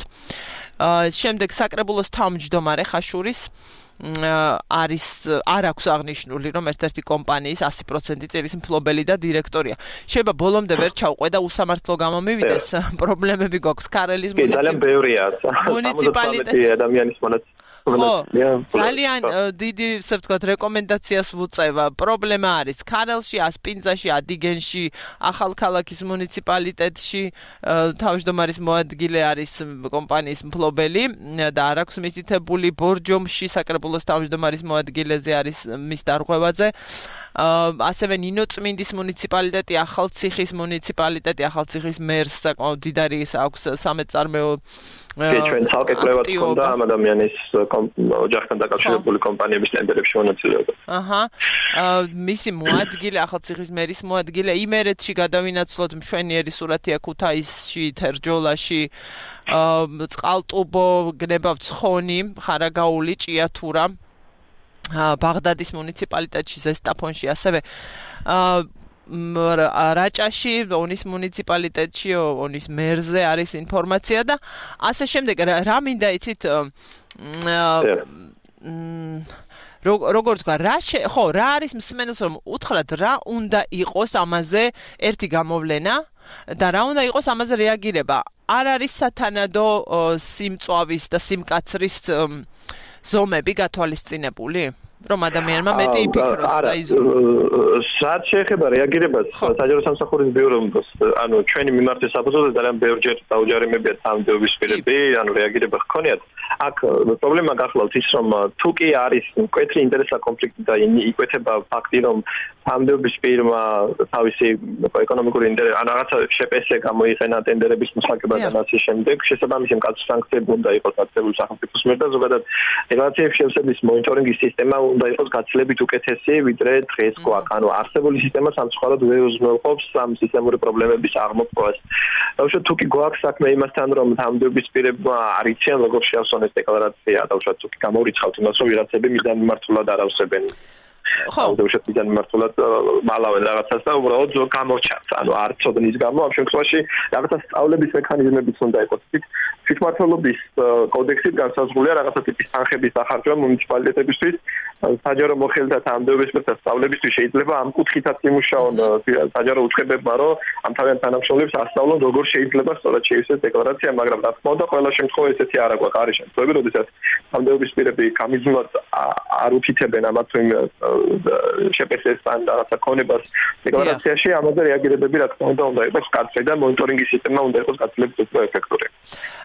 შემდეგ საკრებულოს თავმჯდომარე ხაშურის არის არ აქვს აღნიშნული რომ ერთ-ერთი კომპანიის ასი პროცენტი წილის მფლობელი და დირექტორია. შეიძლება ბოლომდე ვერ ჩავყვე და უსამართლო გამომივიდეს, პრობლემები გვაქვს ქარელის მუნიციპალიტეტი ადამიანის მონაწილეობით. ხო, ძალიან დიდი, ასე ვთქვათ, რეკომენდაციას ვუწევა. პრობლემა არის ქარელში, ასპინძაში, ადიგენში, ახალქალაქის მუნიციპალიტეტში, თავმჯდომარის მოადგილე არის კომპანიის მფლობელი და არ აქვს მითითებული. ბორჯომში საკრებულოს თავმჯდომარის მოადგილეზე არის მის დარღვევაზე. ასევე ნინოწმინდის მუნიციპალიტეტი, ახალციხის მუნიციპალიტეტი, ახალციხის მერს საკმაოდ დიდარი აქვს სამეწარმეო ჩვენ ცალკე კვლევაც ჰქონდა ამ ადამიანის ოჯახთან დაკავშირებული კომპანიების ტენდერებში მონაწილეობა. აჰა. მისი მოადგილე, ახალციხის მერის მოადგილე იმერეთში გადავინაცვლოთ მშვენიერი სურათია ქუთაისში, თერჯოლაში, წყალტუბო, გნებავთ ცხონი, ხარაგაული, ჭიათურა, ბაღდადის მუნიციპალიტეტში, ზესტაფონში, ასევე რაჭაში, ონის მუნიციპალიტეტში, ონის მერზე არის ინფორმაცია და ასე შემდეგ. რა მინდა იცით როგორ თქვა, რა ხო, რა არის მსმენელს რომ უთხრათ რა უნდა იყოს ამაზე ერთი გამოვლენა და რა უნდა იყოს ამაზე რეაგირება. არ არის სათანადო სიმწვავის და სიმკაცრის ზომები გათვალისწინებული? რომ ადამიანმა მეტი იფიქროს და იზრუნოს. რაც შეეხება რეაგირებას, საჯარო სამსახურის ბიუროს, ანუ ჩვენი მიმართვის საფუძველზე ძალიან ბევრჯერ დაუჯარიმებია თანამდებობის პირები, ანუ რეაგირება ჰქონიათ. აქ პრობლემა გახლავთ ის, რომ თუ კი არის მკვეთრი ინტერესთა კონფლიქტი და იკვეთება ფაქტი, რომ თანამდებობის პირმა თავისი ეკონომიკური ინტერესი, ან რაღაცა შეპესე გამოიყენა ტენდერების მოსაკებად და ასე შემდეგ, შესაბამისი მკაცრი სანქციები უნდა იყოს გაწეული სახელმწიფოს მიერ და ზოგადად რეგულაციების შევსების მონიტორინგის სისტემა უნდა იყოს გაცილებით უკეთესი, ვიდრე დღეს გვაქვს. ანუ არსებული სისტემა სამწუხაროდ ვერ უზრუნველყოფს ამ სისტემური პრობლემების აღმოფხვას. დავუშვათ თუ კი გვაქვს საქმე იმასთან, რომ თანამდებობის პირებმა არიციან როგორ შეავსონ ეს დეკლარაცია, დავუშვათ თუ კი გამორიცხავთ იმას, რომ ვიღაცები მიზან მიმართულად არ ავსებენ. ხო, დავუშვათ მიზან მიმართულად მალავენ რაღაცას და უბრალოდ გამორჩათ. ანუ არ ცოდნის გამო ამ შემთხვევაში რაღაცა სწავლების მექანიზმებიც უნდა იყოს. თვითმმართველობის კოდექსით განსაზღვრულია რაღაცა ტიპის თანხების დახარჯვა მუნიციპალიტეტებისთვის. საჯარო მოხელეთა თანამდებობის და სწავლებისთვის შეიძლება ამ კუთხითაც იმუშაონ საჯარო უწყებებმა, რომ ამ თავიანთ თანამშრომლებს ასწავლონ როგორ შეიძლება სწორად შეივსეს დეკლარაცია, მაგრამ რა თქმა უნდა ყველა შემთხვევა ესეთი არ აქვს. არის შემთხვევები, როდესაც თანამდებობის პირები გამიზნულად არ უთითებენ ამათ თუ შეპესეს ან რაღაცა ქონებას დეკლარაციაში, ამაზე რეაგირებები რა თქმა უნდა უნდა იყოს კარგი და მონიტორინგის სისტემა უნდა იყოს გაცილებით უფრო ეფექტური.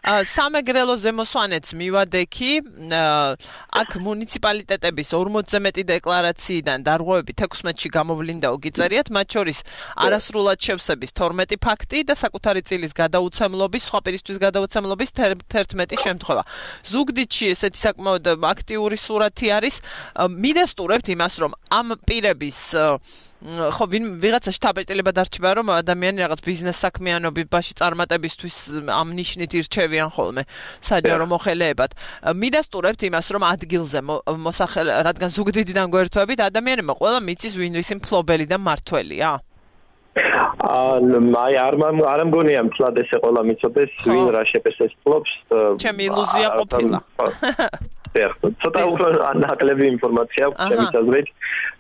სამეგრელო ზემოსვანეთს მივადექი, აქ მუნიციპალიტეტების ორმოცზე მეტი დეკლარაციიდან დარღვევები თექვსმეტში გამოვლინდაო გიწერიათ, მათ შორის არასრულად შევსების თორმეტი ფაქტი და საკუთარი წილის გადაუცემლობის, სხვა პირისთვის გადაუცემლობის თერთმეტი შემთხვევა. ზუგდიდში ესეთი საკმაოდ აქტიური სურათი არის. მიდასტურებთ იმას, რომ ამ პირების ხო ვინ ვიღაცა შტაბ-ეტილება დარჩება, რომ ადამიანი რაღაც ბიზნეს საქმიანობაში წარმატებისთვის ამ ნიშნით ირჩევიან ხოლმე საჯარო მოხელეებად. მიდასტურებთ იმას, რომ ადგილზე მოსახელ, რადგან ზუგდიდიდან გვერთვებით, ადამიანებმა ყველა მიცის ვინ ვისი მფლობელი და მმართველია. აი არ არ მგონია მთლად ესე ყველა მიცოდეს, ვინ რა შეპესეს ფლობს. ჩემი ილუზია ყოფილა. ცოტა უფრო ნაკლები ინფორმაცია აქვს ჩემს აზრით.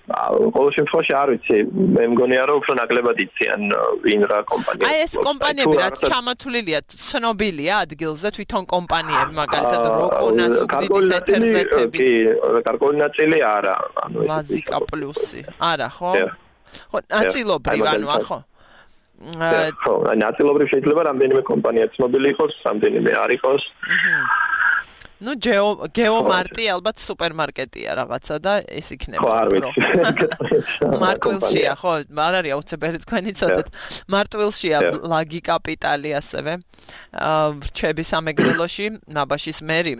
ყოველ შემთხვევაში არ ვიცი, მე მგონია რომ უფრო ნაკლებად იციან ვინ რა კომპანია. აი ეს კომპანიები რაც ჩამოთვლილია, ცნობილია ადგილზე თვითონ კომპანიები, მაგალითად როკონა, ზუგდიდის ეთერზეთები. კი, კარგული ნაწილი არა, ანუ ვაზიკა პლუსი. არა, ხო? ხო, ნაწილობრივ, ანუ ახო. ხო, ნაწილობრივ შეიძლება რამდენიმე კომპანია ცნობილი იყოს, რამდენიმე არ იყოს. ну geo geomart-ი ალბათ სუპერმარკეტია რაღაცა და ეს იქნება. ხო, არ ვიცი. მარტვილშია, ხო, არ არის აუცილებელი თქვენი ცოდეთ. მარტვილშია ლაგი კაპიტალი ასევე. რჩები სამეგრელოში, ნაბაშის მერი.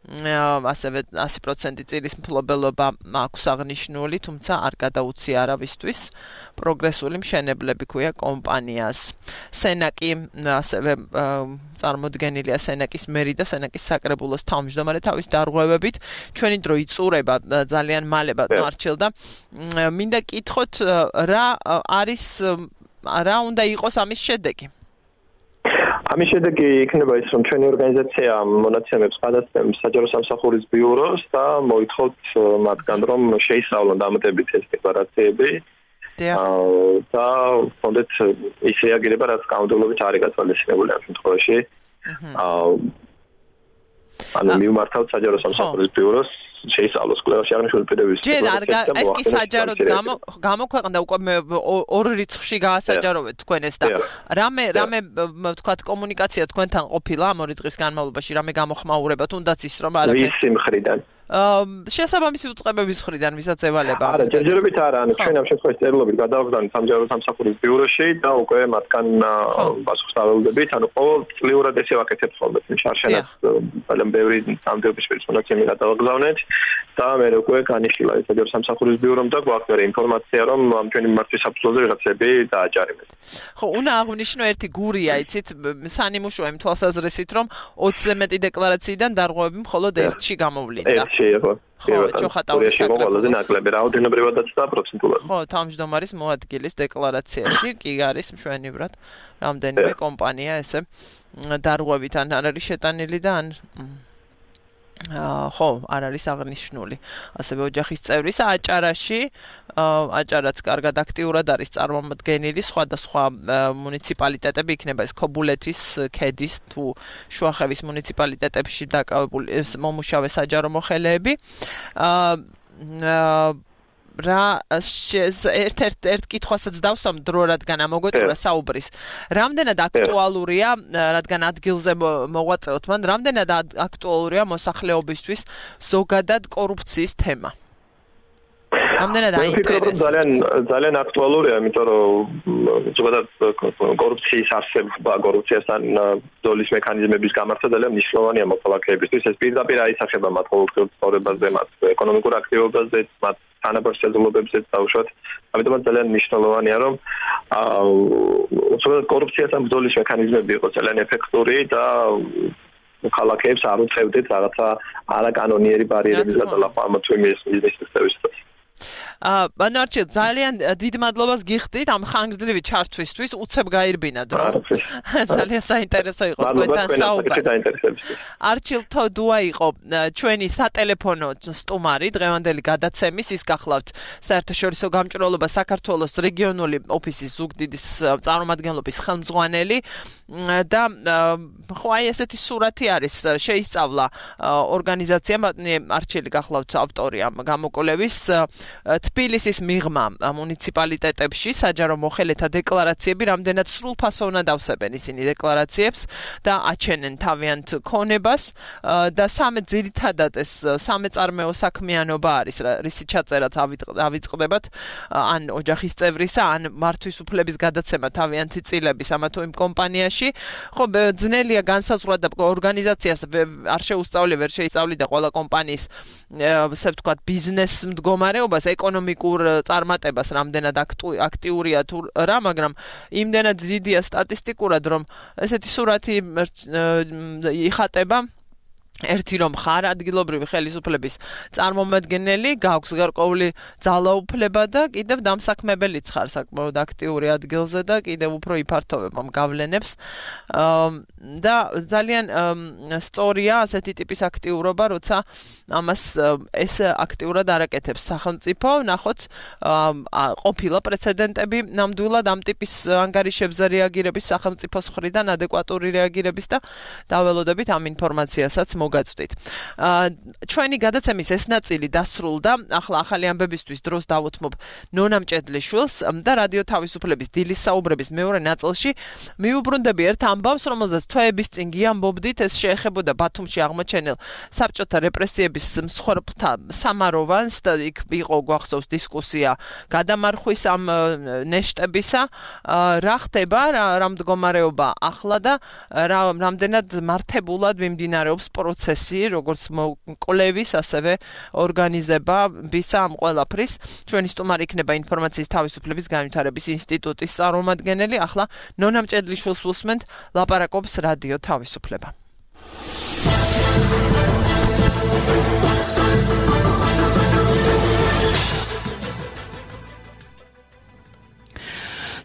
ასევე ასი პროცენტი წილის მფლობელობა აქვს აღნიშნული, თუმცა არ გადაუცი არავისთვის. პროგრესული მშენებლები ქვია კომპანიას. სენაკი ასევე წარმოდგენილია სენაკის მერი და სენაკის საკრებულოს თავმჯდომარე თავის დარღვევებით. ჩვენი დრო იწურება ძალიან მალე მარჩილდა. მინდა კითხოთ რა არის რა უნდა იყოს ამის შედეგი? ამის შედეგი იქნება ის, რომ ჩვენი ორგანიზაცია მონაცემებს გადასცემს საჯარო სამსახურის ბიუროს და მოითხოვთ მათგან, რომ შეისწავლონ დამატებით ეს დეკლარაციები. და ფონდეთ ის რეაგირება, რაც კანონმდებლობით არის გათვალისწინებული ამ შემთხვევაში. ანუ მივმართავთ საჯარო სამსახურის ბიუროს შეისწავლოს კვლევაში აღნიშნული პირების. ჯერ არ ეს კი საჯაროდ გამოქვეყნდა უკვე ორ რიცხვში გაასაჯაროვეთ თქვენ ეს და რამე რამე ვთქვათ კომუნიკაცია თქვენთან ყოფილა ამ ორი დღის განმავლობაში, რამე გამოხმაურება თუნდაც ის რომ არაფერი ვისი მხრიდან შესაბამისი უწყებების მხრიდან ვისაც ევალება. არა, ჯერჯერობით არა, ანუ ჩვენ ამ შემთხვევაში წერილობით გადავაგზავნეთ სამჯარო სამსახურის ბიუროში და უკვე მათგან პასუხს დაველოდებით, ანუ ყოველწლიურად ესე ვაკეთებთ ხოლმე, შარშანაც ძალიან ბევრი ნამდვილობის პერსონაჟები გადავაგზავნეთ და მე უკვე განიშნილა სამჯარო სამსახურის ბიურომ და გვაქვს მე ინფორმაცია, რომ ამ ჩვენი მართვის საფუძველზე რაღაცები დააჯარიმეთ. ხო, უნდა აღვნიშნო ერთი გურია, იცით, სანიმუშოა იმ თვალსაზრისით, რომ ოცზე მეტი დეკლარაციიდან დარღვევები მხოლოდ ერთში გამოვლინდა. ერთში იყო. ხო, ჩოხატაურის საკრებულოზე ნაკლები რაოდენობრივადაც და პროცენტულად. ხო, თავმჯდომარის მოადგილის დეკლარაციაში კი არის მშვენივრად რამდენიმე კომპანია ესე დარღვევითან არ არის შეტანილი და ან ხო, არ არის აღნიშნული. ასევე ოჯახის წევრის აჭარაში, აჭარაც კარგად აქტიურად არის წარმომადგენელი სხვადასხვა მუნიციპალიტეტები, იქნება ეს ქობულეთის, ქედის თუ შუახევის მუნიციპალიტეტებში დაკავებული მომუშავე საჯარო მოხელეები. აა რა ერთ-ერთ ერთ კითხვასაც დავსვამ დრო, რადგან ამოგვეწურა საუბრის. რამდენად აქტუალურია, რადგან ადგილზე მოღვაწეობთ მან, რამდენად აქტუალურია მოსახლეობისთვის ზოგადად კორუფციის თემა? რამდენად აინტერესებს? ძალიან ძალიან აქტუალურია, იმიტომ რომ ზოგადად კორუფციის არსება, კორუფციასთან ბრძოლის მექანიზმების გამართვა ძალიან მნიშვნელოვანია მოქალაქეებისთვის. ეს პირდაპირ აისახება მათ ყოველდღიურ ცხოვრებაზე, მათ ეკონომიკურ აქტივობაზე, მათ თანაბარ შეძლობებზე დაუშვათ. ამიტომაც ძალიან მნიშვნელოვანია, რომ ზოგადად კორუფციასთან ბრძოლის მექანიზმები იყოს ძალიან ეფექტური და მოქალაქეებს არ უწევდეთ რაღაცა არაკანონიერი ბარიერების გადალახვა ამ თემის მიზნისთვის. აა ბანარჩი ძალიან დიდ მადლობას გიხდით ამ ხანგრძლივი ჩართვისთვის, უცებ გაირბინა დრო. ძალიან საინტერესო იყო თქვენთან საუბარი. არჩილ თოდუა იყო ჩვენი სატელეფონო სტუმარი დღევანდელი გადაცემის, ის გახლავთ საერთაშორისო გამჭვირვალობა საქართველოს რეგიონული ოფისის ზუგდიდის წარმომადგენლობის ხელმძღვანელი და ხო აი ესეთი სურათი არის შეისწავლა ორგანიზაციამ არჩილი გახლავთ ავტორი ამ გამოკვლევის თბილისის მიღმა მუნიციპალიტეტებში საჯარო მოხელეთა დეკლარაციები რამდენად სრულფასოვნად ავსებენ ისინი დეკლარაციებს და აჩენენ თავიანთ ქონებას და სამე ძირითადად ეს სამეწარმეო საქმიანობა არის რისი ჩაწერაც ავიწყდებათ ან ოჯახის წევრისა ან მართვის უფლების გადაცემა თავიანთი წილების ამა თუ იმ კომპანიაში ხო ძნელია განსაზღვრა და ორგანიზაციას არ შეუსწავლი ვერ შეისწავლიდა ყველა კომპანიის ასე ვთქვათ ბიზნეს მდგომარეობას ეკონომიკურ წარმატებას რამდენად აქტიურია თუ რა, მაგრამ იმდენად დიდია სტატისტიკურად, რომ ესეთი სურათი იხატება ერთი რომ ხარ ადგილობრივი ხელისუფლების წარმომადგენელი, გაქვს გარკვეული ძალაუფლება და კიდევ დამსაქმებელიც ხარ საკმაოდ აქტიური ადგილზე და კიდევ უფრო იფართოვებ ამ გავლენებს. და ძალიან სწორია ასეთი ტიპის აქტიურობა, როცა ამას ეს აქტიურად არაკეთებს სახელმწიფო, ნახოთ ყოფილა პრეცედენტები ნამდვილად ამ ტიპის ანგარიშებზე რეაგირების სახელმწიფოს მხრიდან ადეკვატური რეაგირების და დაველოდებით ამ ინფორმაციასაც მოგაწვდით. ჩვენი გადაცემის ეს ნაწილი დასრულდა. ახლა ახალი ამბებისთვის დროს დავუთმობ ნონა მჭედლიშვილს და რადიო თავისუფლების დილის საუბრების მეორე ნაწილში მიუბრუნდები ერთ ამბავს, რომელზეც თვეების წინ გიამბობდით, ეს შეეხებოდა ბათუმში აღმოჩენილ საბჭოთა რეპრესიების მსხვერპლთა სამაროვანს და იქ იყო გვახსოვს დისკუსია გადამარხვის ამ ნეშტებისა. რა ხდება, რა მდგომარეობა ახლა და რამდენად მართებულად მიმდინარეობს პროცესი, როგორც მოკვლევის, ასევე ორგანიზებას ამ ყველაფრის. ჩვენი სტუმარი იქნება ინფორმაციის თავისუფლების განვითარების ინსტიტუტის წარმომადგენელი. ახლა ნონა მჭედლიშვილს უსმენთ, ლაპარაკობს რადიო თავისუფლება.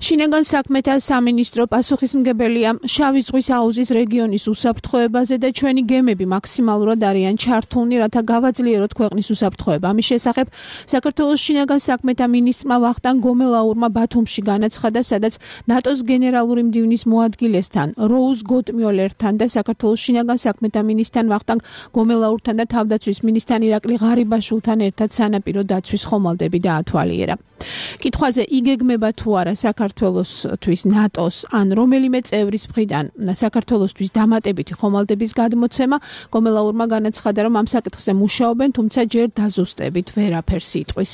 შინაგან საქმეთა სამინისტრო პასუხისმგებელია შავი ზღვის აუზის რეგიონის უსაფრთხოებაზე და ჩვენი გემები მაქსიმალურად არიან ჩართულნი, რათა გავაძლიეროთ ქვეყნის უსაფრთხოება. ამის შესახებ საქართველოს შინაგან საქმეთა მინისტრმა ვახტანგ გომელაურმა ბათუმში განაცხადა, სადაც ნატოს გენერალური მდივნის მოადგილესთან, როუზ გოტმიოლერთან და საქართველოს შინაგან საქმეთა მინისტრთან ვახტანგ გომელაურთან და თავდაცვის მინისტრთან ირაკლი ღარიბაშვილთან ერთად სანაპირო დაცვის ხომალდები დაათვალიერა. კითხვაზე იგეგმება თუ არა საქართველოს საქართველოსთვის ნატოს ან რომელიმე წევრის მხრიდან საქართველოსთვის დამატებითი ხომალდების გადმოცემა, გომელაურმა განაცხადა, რომ ამ საკითხზე მუშაობენ, თუმცა ჯერ დაზუსტებით ვერაფერს იტყვის.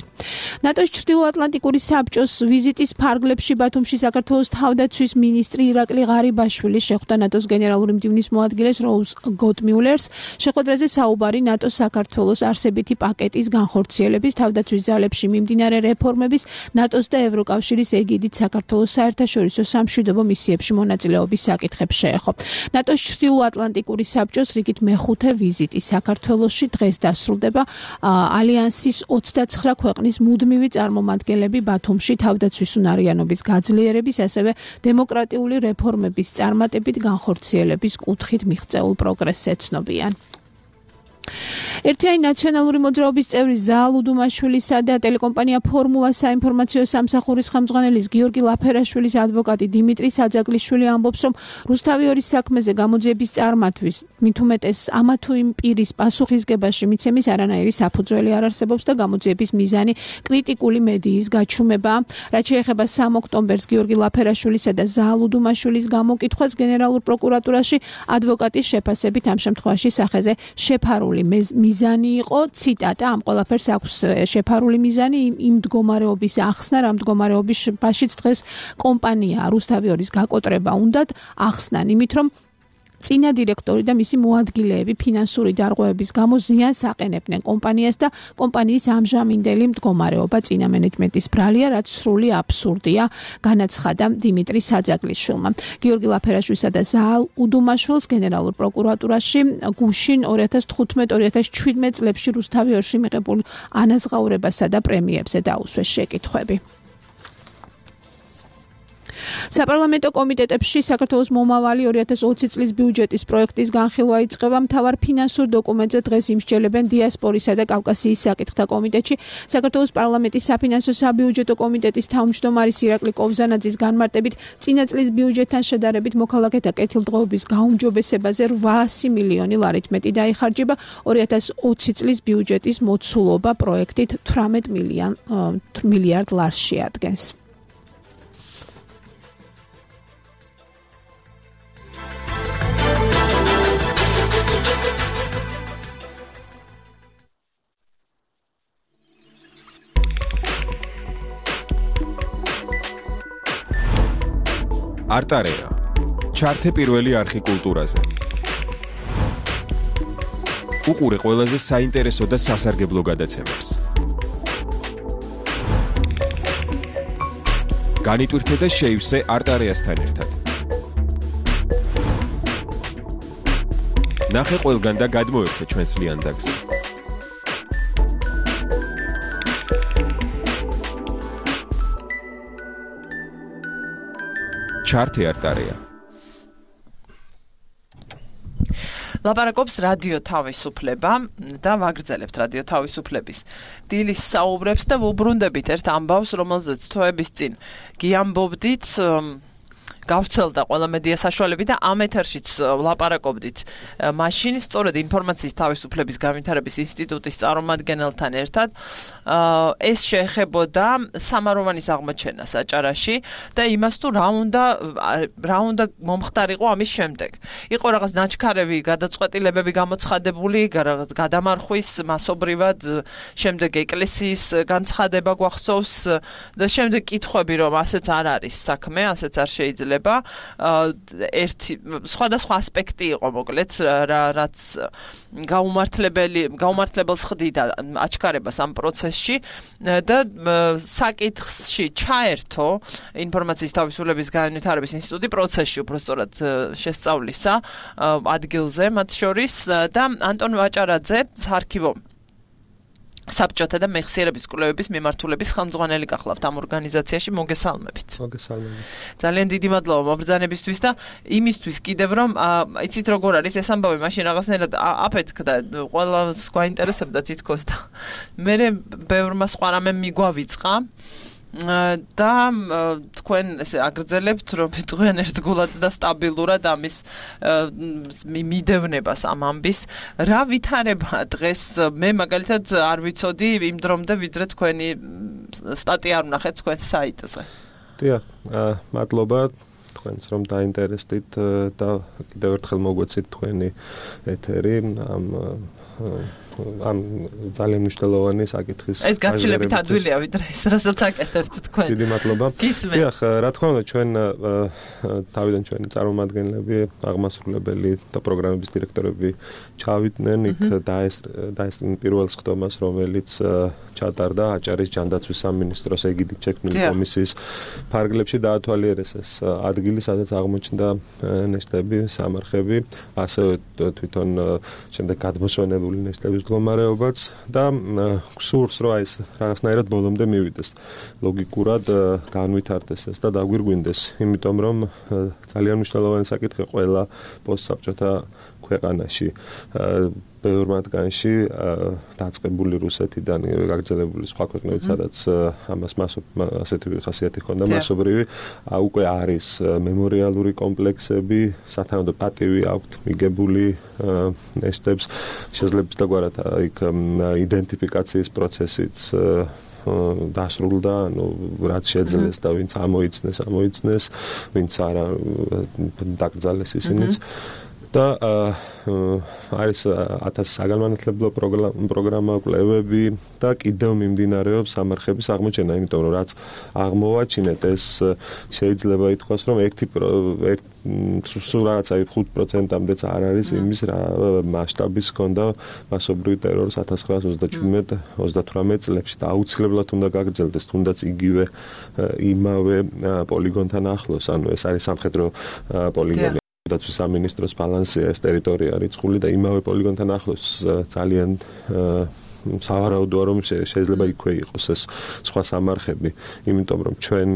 ნატოს ჩრდილოატლანტიკური საბჭოს ვიზიტის ფარგლებში ბათუმში საქართველოს თავდაცვის მინისტრი ირაკლი ღარიბაშვილი შეხვდა ნატოს გენერალური მდივნის მოადგილეს როუზ გოტმიულერს. შეხვედრაზე საუბარი ნატოს საქართველოს არსებითი პაკეტის განხორციელების, თავდაცვის ძალებში მიმდინარე რეფორმების, ნატოს და ევროკავშირის ეგიდით საქართველოს საერთაშორისო სამშვიდობო მისიებში მონაწილეობის საკითხებს შეეხო. ნატოს ჩრდილოატლანტიკური საბჭოს რიგით მეხუთე ვიზიტი საქართველოში დღეს დასრულდება. ალიანსის ოცდაცხრა ქვეყნის მუდმივი წარმომადგენლები ბათუმში თავდაცვის უნარიანობის გაძლიერების, ასევე დემოკრატიული რეფორმების წარმატებით განხორციელების კუთხით მიღწეულ პროგრესს ეცნობიან. ერთიანი ნაციონალური მოძრაობის წევრი ზაალ უდუმაშვილისა და ტელეკომპანია ფორმულა საინფორმაციო სამსახურის ხელმძღვანელის გიორგი ლაფერაშვილის ადვოკატი დიმიტრი საძაგლიშვილი ამბობს, რომ რუსთავი-ორის საქმეზე გამოძიების წარმატვის, მით უმეტეს ამა თუ იმ პირის პასუხისგებაში მიცემის არანაირი საფუძველი არ არსებობს და გამოძიების მიზანი კრიტიკული მედიის გაჩუმებაა. რაც შეეხება სამ ოქტომბერს გიორგი ლაფერაშვილისა და ზაალ უდუმაშვილის გამოკითხვას გენერალურ პროკურატურაში, ადვოკატის შეფასებით ამ შემთხვევაში სახეზე შეფარული მიზანი იყო, ციტატა, ამ ყველაფერს აქვს შეფარული მიზანი იმ მდგომარეობის ახსნა, რა მდგომარეობაშიც დღეს კომპანია რუსთავი-ორის გაკოტრება უნდათ ახსნან, იმით რომ წინა დირექტორი და მისი მოადგილეები ფინანსური დარღვევების გამო ზიანს აყენებდნენ კომპანიას და კომპანიის ამჟამინდელი მდგომარეობა წინა მენეჯმენტის ბრალია, რაც სრული აბსურდია, განაცხადა დიმიტრი საძაგლიშვილმა. გიორგი ლაფერაშვილსა და ზაალ უდუმაშვილს გენერალურ პროკურატურაში გუშინ ორი ათას თხუთმეტ ორი ათას შვიდმეტ წლებში რუსთავი-ორში მიღებულ ანაზღაურებასა და პრემიებზე დაუსვეს შეკითხვები. საპარლამენტო კომიტეტებში საქართველოს მომავალი ორი ათას ოცი წლის ბიუჯეტის პროექტის განხილვა იწყება. მთავარ ფინანსურ დოკუმენტზე დღეს იმსჯელებენ დიასპორისა და კავკასიის საკითხთა კომიტეტში. საქართველოს პარლამენტის საფინანსო საბიუჯეტო კომიტეტის თავმჯდომარის ირაკლი კოვზანაძის განმარტებით, წინა წლის ბიუჯეტთან შედარებით მოქალაქეთა კეთილდღეობის გაუმჯობესებაზე რვაასი მილიონი ლარით მეტი დაიხარჯება. ორი ათას ოცი წლის ბიუჯეტის მოცულობა პროექტით თვრამეტ მილიარდ ლარს შეადგენს. არტარეა. ჩართე პირველი არხი კულტურაზე. უყურე ყველაზე საინტერესო და სასარგებლო გადაცემებს. განიტვირთე და შეივსე არტარეასთან ერთად. ნახე ყველგან და გადმოერთე ჩვენს ლიანდაგზე. ჩართე არტარეა. ლაპარაკობს რადიო თავისუფლება და ვაგრძელებთ რადიო თავისუფლების დილის საუბრებს და ვუბრუნდებით ერთ ამბავს, რომელზეც თვეების წინ გიამბობდით, გავრცელდა ყველა მედია საშუალები და ამ ეთერშიც ვლაპარაკობდით მაშინ სწორედ ინფორმაციის თავისუფლების განვითარების ინსტიტუტის წარმომადგენელთან ერთად. ეს შეეხებოდა სამაროვანის აღმოჩენას აჭარაში და იმას თუ რა უნდა რა უნდა მომხდარიყო ამის შემდეგ. იყო რაღაც ნაჩქარევი გადაწყვეტილებები გამოცხადებული, რაღაც გადამარხვის მასობრივად, შემდეგ ეკლესიის განცხადება გვახსოვს და შემდეგ კითხვები, რომ ასეც არ არის საქმე, ასეც არ შეიძლება. ერთი სხვადასხვა ასპექტი იყო მოკლედ, რაც გაუმართლებელი გაუმართლებელს ხდიდა აჩქარებას ამ პროცესში და საკითხში ჩაერთო ინფორმაციის თავისუფლების განვითარების ინსტიტუტი პროცესში უბრალოდ შესწავლისა ადგილზე მათ შორის და ანტონ ვაჭარაძე საარქივო საბჭოთა და მეხსიერების კვლევების მიმართულების ხელმძღვანელი გახლავთ ამ ორგანიზაციაში. მოგესალმებით. მოგესალმებით. ძალიან დიდი მადლობა მობრძანებისთვის და იმისთვის კიდევ რომ იცით როგორ არის ეს ამბავი, მაშინ რაღაცნაირად აფეთქდა, ყველას გვაინტერესებდა თითქოს და მე ბევრმა სხვა რამე მიგვავიწყა და თქვენ ესე აგრძელებთ, რომ თქვენ ერთგულად და სტაბილურად ამის მიდევნებას ამ ამბის. რა ვითარება დღეს? მე მაგალითად არ ვიცოდი იმ დრომდე, ვიდრე თქვენი სტატია არ ვნახეთ თქვენ საიტზე. დიახ, მადლობა თქვენს რომ დაინტერესდით და კიდევ ერთხელ მოგვეცით თქვენი ეთერი ამ ამ ძალიან მნიშვნელოვანი საკითხის. ეს გაცილებით ადვილია ვიდრე ეს რასაც აკეთებთ თქვენ. დიდი მადლობა. დიახ, რა თქმა უნდა ჩვენ თავიდან ჩვენი წარმომადგენლები, აღმასრულებელი და პროგრამების დირექტორები ჩავიდნენ იქ დაესწრნენ პირველ სხდომას, რომელიც ჩატარდა აჭარის ჯანდაცვის სამინისტროს ეგიდით შექმნილი კომისიის ფარგლებში დაათვალიერეს ეს ადგილი, სადაც აღმოჩნდა ნეშტები, სამარხები, ასევე თვითონ შემდეგ გადმოსვენებული ნეშტების მდგომარეობაც და გსურს რომ ეს რაღაცნაირად ბოლომდე მივიდეს. ლოგიკურად განვითარდეს ეს და დაგვირგვინდეს, იმიტომ რომ ძალიან მნიშვნელოვანი საკითხი ყველა პოსტსაბჭოთა ქვეყანაში. ბევრ მათგანში დაწყებული რუსეთიდან გაგრძელებული სხვა ქვეყნებით, სადაც ამას ასეთი ხასიათი ჰქონდა მასობრივი, უკვე არის მემორიალური კომპლექსები, სათანადო პატივი აქვთ მიგებული ნეშტებს, შესაძლებს დაგვარად იქ იდენტიფიკაციის პროცესიც დასრულდა, ანუ რაც შეძლეს და ვინც ამოიცნეს, ამოიცნეს, ვინც არა დაკრძალეს ისინიც. და არის ათასი საგანმანათლებლო პროგრამა, კვლევები და კიდევ მიმდინარეობს სამარხების აღმოჩენა, იმიტომ რომ რაც აღმოვაჩინეთ, ეს შეიძლება ითქვას, რომ ერთი სულ რაღაცა ხუთ პროცენტამდეც არ არის იმის რა მასშტაბის ჰქონდა მასობრივი ტერორის ათას ცხრაას ოცდაჩვიდმეტ ოცდათვრამეტ წლებში და აუცილებლად უნდა გაგრძელდეს, თუნდაც იგივე იმავე პოლიგონთან ახლოს, ანუ ეს არის სამხედრო პოლიგონი. დაცვის სამინისტროს ბალანსია ეს ტერიტორია რიცხული და იმავე პოლიგონთან ახლოს ძალიან სავარაუდოა რომ შეიძლება იქვე იყოს ეს სხვა სამარხები, იმიტომ რომ ჩვენ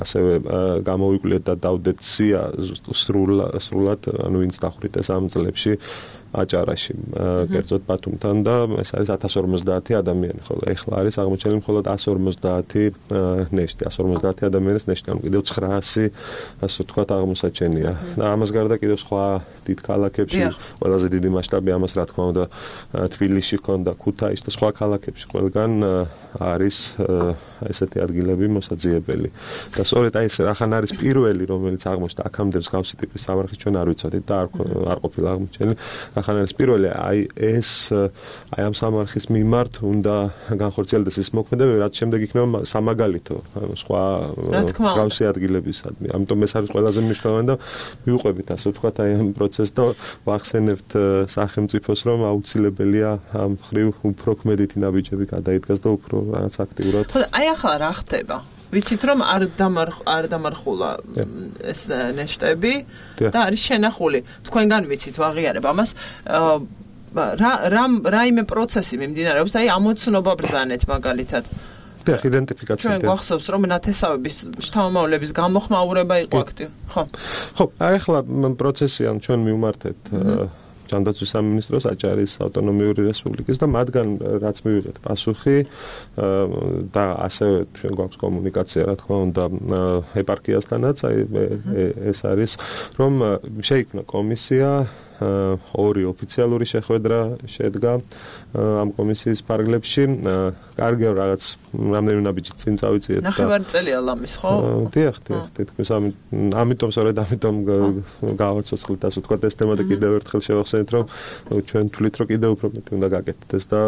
ასევე გამოვიკვლიეთ და დავდეთ სია სრულად, ანუ ვინც დახვრიტეს ეს ამ წლებში აჭარაში, კერძოდ ბათუმთან და ეს არის ათას ორმოცდაათი ადამიანი, ხოლო ეხლა არის აღმოჩენილი მხოლოდ ათას ორმოცდაათი ნეშტი, ათას ორმოცდაათი ადამიანის ნეშტი, ანუ კიდევ ცხრაასი, ასე ვთქვათ, აღმოსაჩენია. და ამას გარდა კიდევ სხვა დიდ ქალაქებში, ყველაზე დიდი მასშტაბი ამას რა თქმა უნდა თბილისში ჰქონდა, ქუთაისში და სხვა ქალაქებში ყველგან არის ესეთი ადგილები მოსაძიებელი. და სწორედ აი ეს რახან არის პირველი, რომელიც აღმოჩნდა აქამდე მსგავსი ტიპის სამარხი, ჩვენ არ ვიცოდით და არ არ ყოფილა აღმოჩენილი. ახლა ეს პირველი აი ეს აი ამ სამარხის მიმართ უნდა განხორციელდეს ეს მოქმედებები, რაც შემდეგ იქნება სამაგალითო სხვა მსგავსი ადგილებისადმი. ამიტომ ეს არის ყველაზე მნიშვნელოვანი და მივუყვებით ასე ვთქვათ აი ამ პროცესს და ვახსენებთ სახელმწიფოს, რომ აუცილებელია ამ ხრივ უფრო ქმედითი ნაბიჯები გადაიდგას და უფრო რაღაც აქტიურად. ხო, აი ახლა რა ხდება? ვიცით რომ არ დამარხ არ დამარხულა ეს ნეშტები და არის შენახული. თქვენგან ვიცით ვაღიარებ ამას. რა რა რაიმე პროცესი მიმდინარეობს, აი ამოცნობა ბრძანეთ მაგალითად. და იდენტიფიკაცია. ჩვენ გვახსოვს რომ ნათესავების შთამომავლების გამოხმაურება იყო აქტივი. ხო. ხო, აი ახლა პროცესი ან ჩვენ მივმართეთ ჯანდაცვის სამინისტროს აჭარის ავტონომიური რესპუბლიკის და მათგან რაც მივიღეთ პასუხი და ასევე ჩვენ გვაქვს კომუნიკაცია რა თქმა უნდა ეპარქიასთანაც, აი ეს არის რომ შეიქმნა კომისია, ორი ოფიციალური შეხვედრა შედგა ამ კომისიის ფარგლებში. კარგი რაღაც რამდენიმე ნაბიჯი წინ წავიციეთ და ნახევარი წელია ლამის, ხო? დიახ, დიახ, თითქმის ამიტომ სწორედ ამიტომ გავაცოცხლეთ ასე ვთქვათ ეს თემა და კიდევ ერთხელ შევახსენეთ რომ ჩვენ თვლით რომ კიდევ უფრო მეტი უნდა გაკეთდეს ეს და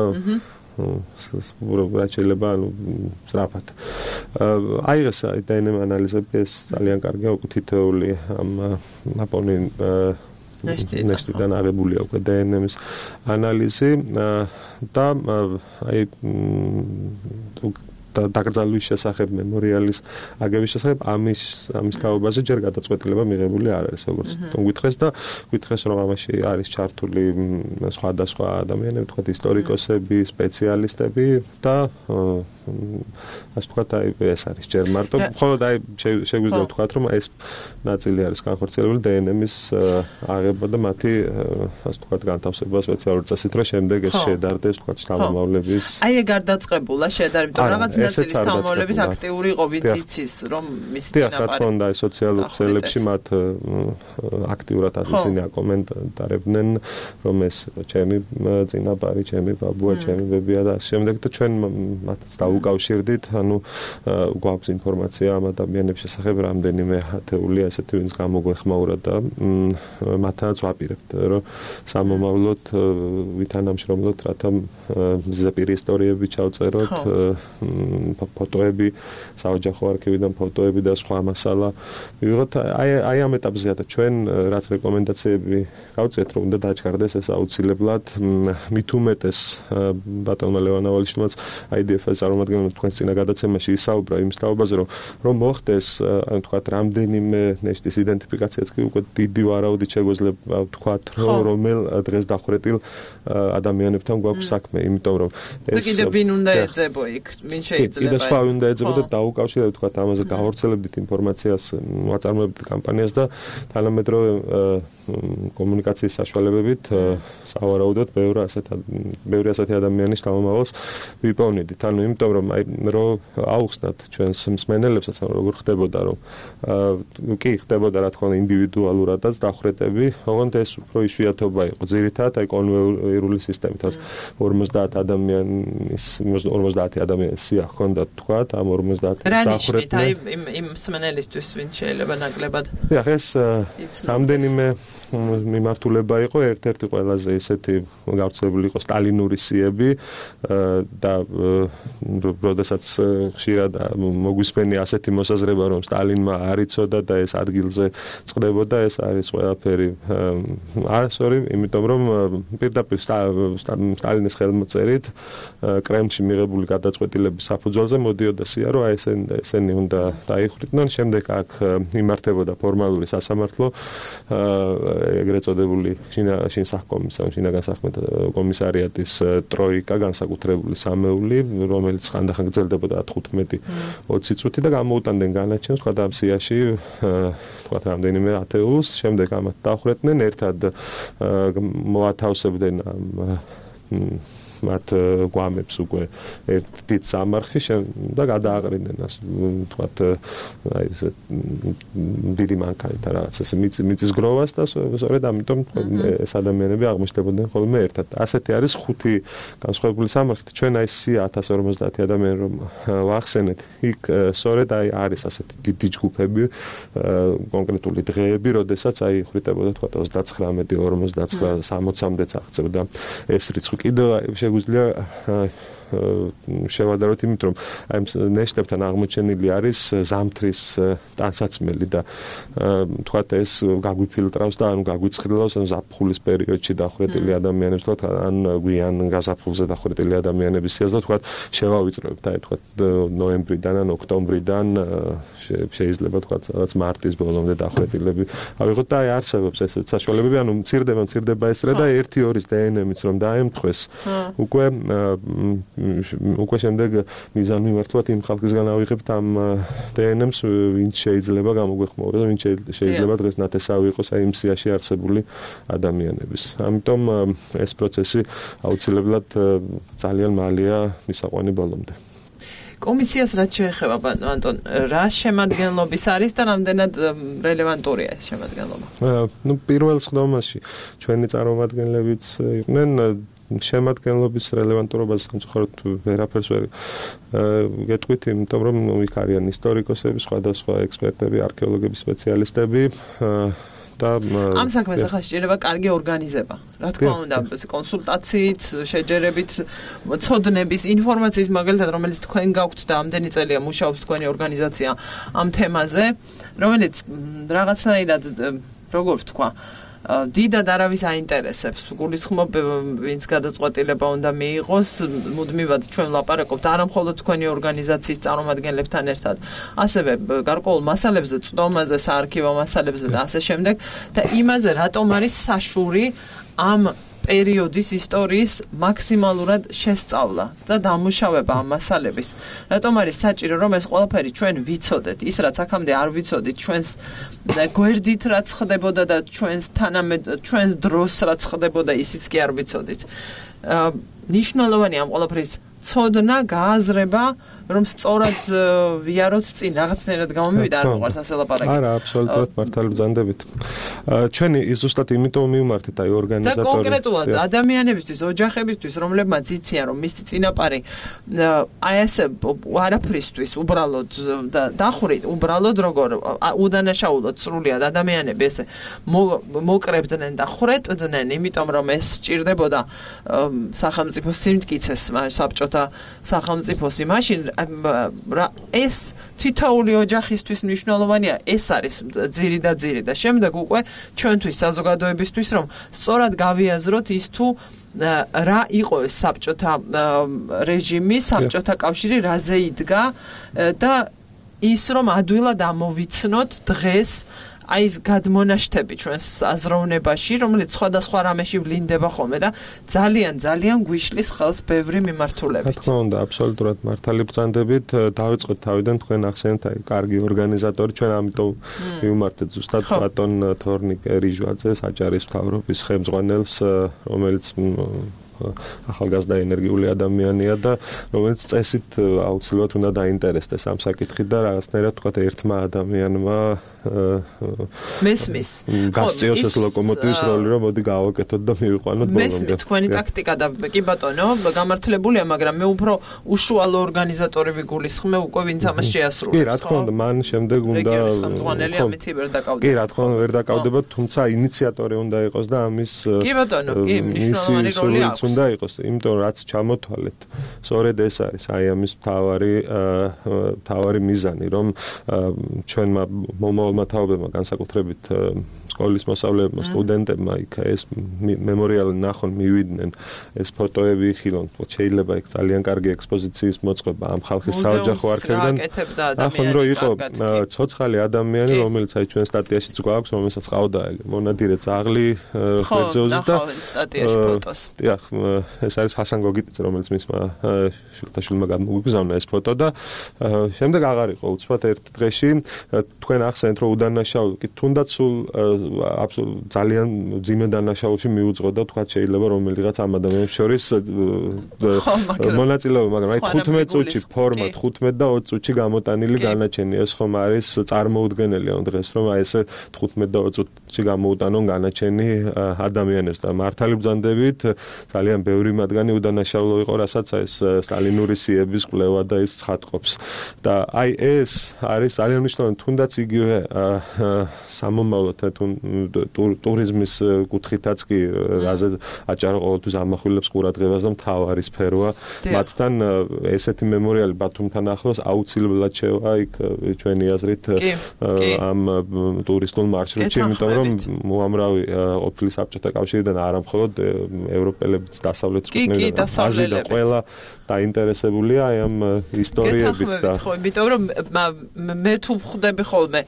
რა შეიძლება ანუ სწრაფად. აიღეს აი დაინემ ანალიზები, ეს ძალიან კარგია, უკვე თითოეული ამ ნაპონი ნეშტიდან აღებულია უკვე დე ენ ემის ანალიზი და აი და დაკრძალვის შესახებ, მემორიალის აგების შესახებ ამის ამის თაობაზე ჯერ გადაწყვეტილება მიღებული არ არის, როგორც თვითონ გითხეს და გითხეს რომ ამაში არის ჩართული სხვადასხვა ადამიანები, თქვათ ისტორიკოსები, სპეციალისტები და ასე ვთქვათ, აი ეს არის ჯერ მარტო, მხოლოდ აი შეგვიძლია ვთქვათ, რომ ეს ნაწილი არის განხორციელებული დე ენ ემის აღება და მათი ასე ვთქვათ განთავსება სპეციალური წესით, რომ შემდეგ ეს შედარდეს, ვთქვათ, შთამომავლების. აი ეგ არ დაწყებულა შედარება, იმიტომ რაღაც ნაწილის შთამომავლების აქტიური იყო, ვინც იცის, რომ მისი წინაპარი. დიახ, რა თქმა უნდა, სოციალურ ქსელებში მათ აქტიურად ასეცინი აკომენტარებდნენ, რომ ეს ჩემი წინაპარი, ჩემი ბაბუა, ჩემი ბებია და ამ შემდეგ და ჩვენ მათ დაუკავშირდით, ანუ გვაქვს ინფორმაცია ამ ადამიანების შესახებ, რამდენიმე ათეული ასეთი ვინც გამოგვეხმაურა და მათაც ვაპირებთ, რომ სამომავლოდ ვითანამშრომლოთ, რათა ზეპირი ისტორიები ჩავწეროთ, ფოტოები, საოჯახო არქივიდან ფოტოები და სხვა მასალა. ვიღოთ აი აი ამ ეტაპზეა და ჩვენ რაც რეკომენდაციები გავწიეთ, რომ უნდა დააჩქარდეს ეს აუცილებლად, მით უმეტეს ბატონმა ლევან ავალიშვილმაც აი დი ეფ-ს წარმომადგენლებს თქვენს წინა გადაცემაში ისაუბრა იმ სწავლაზე, რომ რომ მოხდეს, ანუ თქვათ, რამდენიმე ნეშტის იდენტიფიკაციაც კი უკვე დიდი ვარაუდით შეგვეძლება ვთქვათ, რომელ დღეს დახვრეტილ ადამიანებთან გვაქვს საქმე, იმიტომ რომ ეს კიდე ვინ უნდა ეძებო იქ, ვინ შეიძლება კიდე სხვა უნდა ეძებო და დაუკავშირებთ თქვათ ამაზე გავავრცელებდით ინფორმაციას, ვაწარმოებდით კამპანიას და თანამედროვე კომუნიკაციის საშუალებებით სავარაუდოდ ბევრი ასეთ ბევრი ასეთი ადამიანის გამომავალს ვიპოვნიდით. ანუ იმიტომ რომ აი რომ აუხსნათ ჩვენს მსმენელებსაც, როგორ ხდებოდა, რომ კი ხდებოდა რა თქმა უნდა ინდივიდუალურადაც დახვრეტები, ოღონდ ეს უფრო იშვიათობა იყო. ძირითადად აი კონვეიერული სისტემით ორმოცდაათ ადამიანის ორმოცდაათი ადამიანის სია ჰქონდა თქვათ, ამ ორმოცდაათის დახვრეტა. აი იმ იმ მსმენელისთვის ვინც შეიძლება ნაკლებად. დიახ, ეს რამდენიმე მიმართულება იყო, ერთ-ერთი ყველაზე ისეთი გავრცელებული იყო სტალინური სიები და როდესაც ხშირად მოგვისმენია ასეთი მოსაზრება, რომ სტალინმა არ იცოდა და ეს ადგილზე წყდებოდა, ეს არის ყველაფერი არასწორი, იმიტომ რომ პირდაპირ სტალინის ხელმოწერით კრემლში მიღებული გადაწყვეტილების საფუძველზე მოდიოდა სია, რომ აი ესენი ესენი უნდა დაიხვრიტნონ, შემდეგ აქ იმართებოდა ფორმალური სასამართლო, ეგრეთ წოდებული შინსახკომისარი, შინაგან საქმეთა კომისარიატის ტროიკა, განსაკუთრებული სამეული, რომელიც ხანდახან გრძელდებოდა ათი ოცი წუთი და გამოუტანდნენ განაჩენს, თქვა ამ სიაში, თქვა რამდენიმე ათეულს, შემდეგ ამათ დახვრეტდნენ, ერთად მოათავსებდნენ მათ გვამებს უკვე ერთ დიდ სამარხში და გადააყრიდნენას, თქვათ, აი ეს დიდი მანქანით რაღაც ეს მიწის გროვას და სწორედ ამიტომ ეს ადამიანები აღმოჩნდებოდნენ ხოლმე ერთად. ასეთი არის ხუთი განსხვავებული სამარხით. ჩვენ აი სია ათას ორმოცდაათი ადამიანი რომ ვახსენეთ, იქ სწორედ აი არის ასეთი დიდი ჯგუფები, კონკრეტული დღეები, როდესაც აი იხვრიტებოდა თქვათ ოცდაცხრამეტი, ორმოცდაცხრა, სამოცამდეც აღწევდა ეს რიცხვი. კიდევ შეგვიძლია შევადაროთ იმით, რომ აი ნეშტებთან აღმოჩენილი არის ზამთრის ტანსაცმელი და თქვათ ეს გაგვიფილტრავს და ანუ გაგვიცხრილავს ან ზაფხულის პერიოდში დახვრეტილი ადამიანებს, თქვათ ან გვიან გაზაფხულზე დახვრეტილი ადამიანების სიას და თქვათ შევავიწროებთ, აი თქვათ ნოემბრიდან ან ოქტომბრიდან შეიძლება თქვათ რაღაც მარტის ბოლომდე დახვრეტილები ავიღოთ და აი არსებობს ესეც საშუალებები, ანუ მცირდება მცირდება ეს რა და ერთი ორის დე ენ ემიც რომ დაემთხვეს, უკვე უკვე შემდეგ მიზანმიმართულად იმ ხალხისგან ავიღებთ ამ დე ენ ემს, ვინც შეიძლება გამოგვეხმაუროს და ვინც შეიძლება დღეს ნათესავი იყოს აი იმ სიაში არსებული ადამიანების. ამიტომ ეს პროცესი აუცილებლად ძალიან მალეა მისაყვანი ბოლომდე. კომისიას რაც შეეხება, ანტონ, რა შემადგენლობის არის და რამდენად რელევანტურია ეს შემადგენლობა? ნუ პირველ სხდომაში ჩვენი წარმომადგენლებიც იყვნენ, შემადგენლობის რელევანტურობას სამწუხაროდ ვერაფერს ვერ გეტყვით, იმიტომ რომ იქ არიან ისტორიკოსები, სხვადასხვა ექსპერტები, არქეოლოგები, სპეციალისტები და ამ საქმეს ახლა შეიძლება კარგი ორგანიზება. რა თქმა უნდა, კონსულტაციით, შეჯერებით, ცოდნების, ინფორმაციის მაგალითად, რომელიც თქვენ გაქვთ და ამდენი წელია მუშაობს თქვენი ორგანიზაცია ამ თემაზე, რომელიც რაღაცნაირად როგორ ვთქვა, დიდად არავის აინტერესებს. გულისხმობ, ვინც გადაწყვეტილება უნდა მიიღოს, მუდმივად ჩვენ ვლაპარაკობთ არა მხოლოდ თქვენი ორგანიზაციის წარმომადგენლებთან ერთად, ასევე გარკვეულ მასალებზე, წვდომაზე, საარქივო მასალებზე და ასე შემდეგ და იმაზე, რატომ არის საშური ამ პერიოდის ისტორიის მაქსიმალურად შესწავლა და დამუშავება ამ მასალების. რატომ არის საჭირო, რომ ეს ყველაფერი ჩვენ ვიცოდეთ, ის რაც აქამდე არ ვიცოდით, ჩვენს გვერდით რაც ხდებოდა და ჩვენს თანამედ ჩვენს დროს რაც ხდებოდა, ისიც კი არ ვიცოდით. ნიშნულოვანია ამ ყველაფრის ცოდნა, გააზრება, რომ სწორად ვიაროთ წინ რაღაცნაირად გამომივიდა არ მოყარს ასე ლაპარაკი. არა, აბსოლუტურად მართალი ბრძანდებით. ჩვენი ზუსტად იმიტომ მივმართეთ აი ორგანიზატორი. და კონკრეტულად ადამიანებისთვის, ოჯახებისთვის, რომლებმაც იციან რომ მისი წინაპარი აი ასე არაფრისთვის უბრალოდ და დახვრით, უბრალოდ როგორ უდანაშაულოდ სრულიად ადამიანები ესე მოკრებდნენ და ხრეტდნენ, იმიტომ რომ ეს სჭირდებოდა სახელმწიფოს სიმტკიცეს, საბჭოთა სახელმწიფოს იმაში ეს თითოეული ოჯახისთვის მნიშვნელოვანია, ეს არის ძირი და ძირი და შემდეგ უკვე ჩვენთვის საზოგადოებისთვის რომ სწორად გავიაზროთ ის თუ რა იყო ეს საბჭოთა რეჟიმი, საბჭოთა კავშირი რაზე იდგა და ის რომ ადვილად ამოვიცნოთ დღეს აი ეს გადმონაშთები ჩვენს აზროვნებაში, რომელიც სხვადასხვა რამეში ვლინდება ხოლმე და ძალიან ძალიან გვიშლის ხელს ბევრი მიმართულებით. რა თქმა უნდა, აბსოლუტურად მართალი ბრძანდებით. დავიწყოთ თავიდან თქვენ ახსენეთ აი კარგი ორგანიზატორი, ჩვენ ამიტომ მივმართეთ ზუსტად ბატონ თორნიკ რიჟვაძე, საჯარის მთავრობის ხელმძღვანელს, რომელიც ახალგაზრდა ენერგიული ადამიანია და რომელიც წესით აუცილებლად უნდა დაინტერესდეს ამ საკითხით და რაღაცნაირად თქვა ერთმა ადამიანმა მესმის გასწიოს ეს ლოკომოტივის როლი რომ მოდი გავაკეთოთ და მივიყვანოთ ბოლომდე. მესმის თქვენი ტაქტიკა და კი ბატონო გამართლებულია, მაგრამ მე უფრო უშუალო ორგანიზატორი ვიგულისხმე უკვე ვინც ამას შეასრულებს. კი, რა თქმა უნდა, მან შემდეგ უნდა ხელმძღვანელი ამით ვერ დაკავდება. კი, რა თქმა უნდა, ვერ დაკავდება, თუმცა ინიციატორი უნდა იყოს და ამის კი ბატონო, კი, მნიშვნელოვანი როლი აქვს. უნდა იყოს, იმიტომ რაც ჩამოთვალეთ. სწორედ ეს არის აი ამის მთავარი მთავარი მიზანი, რომ ჩვენმა მათაობებმა განსაკუთრებით სკოლის მოსწავლეებმა, სტუდენტებმა იქ ეს მემორიალი ნახონ, მივიდნენ, ეს ფოტოები იხილონ, შეიძლება იქ ძალიან კარგი ექსპოზიციის მოწყობა ამ ხალხის საოჯახო არქივიდან. ახლა რო იყო ცოცხალი ადამიანი, რომელიც აი ჩვენ სტატიაშიც გვაქვს, რომელსაც ყავდა მონადირე ძაღლი ხვერძეოზე და სტატიაში ფოტოს. დიახ, ეს არის ჰასან გოგიტიც, რომელიც მისმა შულთაშვილმა გამოგვიგზავნა ეს ფოტო და შემდეგ აღარ იყო უცბად ერთ დღეში თქვენ ახსენეთ რომ უდანაშაული კი თუნდაც სულ ძალიან ძიმე დანაშაულში მიუძღო და თქვა შეიძლება რომელიღაც ამ ადამიანებს შორის მონაწილეობა, მაგრამ აი თხუთმეტ წუთში ფორმა თხუთმეტ და ოცი წუთში გამოტანილი განაჩენი ეს ხომ არის წარმოუდგენელი ამ დღეს რომ აი ესე თხუთმეტ და ოცი წუთში გამოუტანონ განაჩენი ადამიანებს და მართალი ბრძანდებით ძალიან ბევრი მათგანი უდანაშაულო იყო, რასაც ეს სტალინური სიების კვლევა და ის ცხადყოფს. და აი ეს არის ძალიან მნიშვნელოვანი, თუნდაც იგივე სამომავლოდ ტურიზმის კუთხითაც კი რაზე აჭარა ყოველთვის ამახვილებს ყურადღებას და მთავარი სფეროა. მათთან ესეთი მემორიალი ბათუმთან ახლოს აუცილებლად შევა იქ ჩვენი აზრით ამ ტურისტულ მარშრუტში, იმიტომ რომ უამრავი ყოფილი საბჭოთა კავშირიდან არა მხოლოდ ევროპელებიც დასავლეთის ქვეყნებიდან, აზრი და ყველა დაინტერესებულია აი ამ ისტორიებით და ხო, იმიტომ რომ მე თუ ვხვდები ხოლმე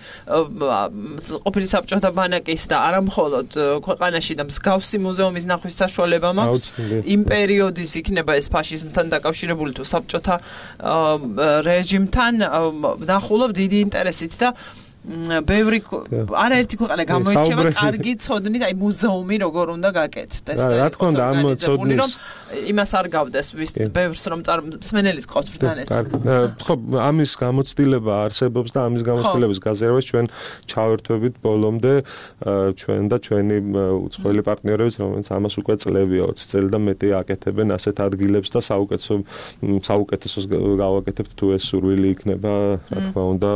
ყოფილი საბჭოთა ბანაკის და არა მხოლოდ ქვეყანაში და მსგავსი მუზეუმის ნახვის საშუალება მაქვს, იმ პერიოდის იქნება ეს ფაშიზმთან დაკავშირებული თუ საბჭოთა რეჟიმთან ნახულობ დიდი ინტერესით და ბევრი არაერთი ქვეყანა გამოირჩევა კარგი ცოდნით, აი მუზეუმი როგორ უნდა გაკეთდეს და რა თქმა უნდა ამ ცოდნის იმას არ გავდეს ვის ბევრს რომ მსმენელის ყავს ბრთან ერთად. ხო, ამის გამოცდილება არსებობს და ამის გამოცდილების გაზიარებას ჩვენ ჩავერთვებით ბოლომდე ჩვენ და ჩვენი უცხოელი პარტნიორებიც, რომელიც ამას უკვე წლებია ოცი წელი და მეტი აკეთებენ ასეთ ადგილებს და საუკეთესო საუკეთესოს გავაკეთებთ თუ ეს სურვილი იქნება, რა თქმა უნდა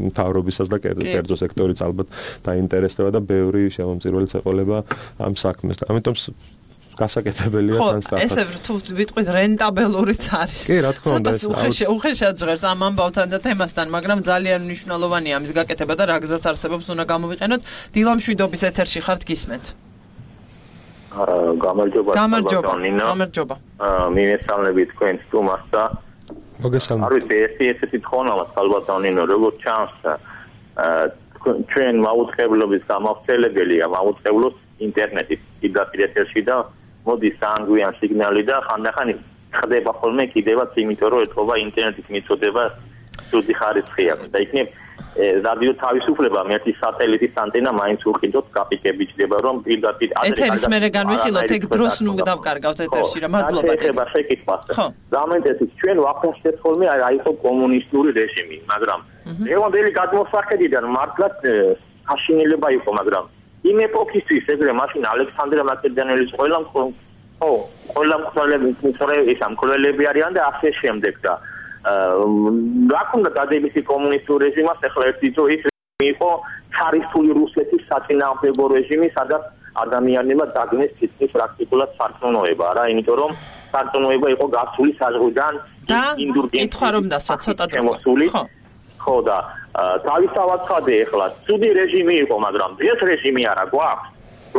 მთავრობისას და კერძო სექტორიც ალბათ დაინტერესდება და ბევრი შემომწირველიც ეყოლება ამ საქმეს. ამიტომ გასაკეთებელია თან სწრაფად. ხო, ესე თუ ვიტყვით რენტაბელურიც არის. კი, რა თქმა უნდა, ეს უხეშად ჟღერს ამ ამბავთან და თემასთან, მაგრამ ძალიან მნიშვნელოვანია ამის გაკეთება და რა გზაც არსებობს უნდა გამოვიყენოთ. დილამშვიდობის ეთერში ხართ, გისმენთ. გამარჯობა. გამარჯობა. გამარჯობა. მიმესალმები თქვენ სტუმარს და მოგესალმებით. არ ვიცი, ეს ესეთი თხოვნა ალბათ ანინო, როგორც ჩანს, ჩვენ მაუწყებლობის გამავრცელებელია, მაუწყებლობს ინტერნეტის იდენტიფიკაციაში და მოდის სანგვიან სიგნალი და ხანდახან ხდება ხოლმე კიდევაც, იმიტომ რომ ეთქობა ინტერნეტის მიწოდება ცუდი ხარისხია და იქნებ რადიო თავისუფლება მერტის სატელიტის ანტენა მაინც უყიდოთ კაპიკები ჭდება რომ პირდაპირ ეთერის მერე განვიხილოთ ეგ დროს ნუ დავკარგავთ ეთერში რა მადლობა ეხება შეკითხვას გამენტესით ჩვენ ვაფრთხეთ ხოლმე რა იყო კომუნისტური რეჟიმი მაგრამ ლევანდელი გადმოსახედიდან მართლაც აშინელება იყო მაგრამ იმ ეპოქისთვის ეგრე მაშინ ალექსანდრე მაკედონელის ყველა ხო ყველა მკვლელები ის ამ მკვლელები არიან და ასე შემდეგ და რა ქონდა დადებითი კომუნისტურ რეჟიმას ახლა ერთი ძო ის იყო ცარისტული რუსეთის საწინააღმდეგო რეჟიმი სადაც ადამიანებმა დაგნეს თითქმის პრაქტიკულად სარწმუნოება რა იმიტომ რომ სარწმუნოება იყო გასული საზღვიდან ინდურგენციის კითხვა რომ დასვა ცოტა შემოსული ხო და თავისთავად ხადე ახლა ცუდი რეჟიმი იყო მაგრამ ეს რეჟიმი არა გვაქვს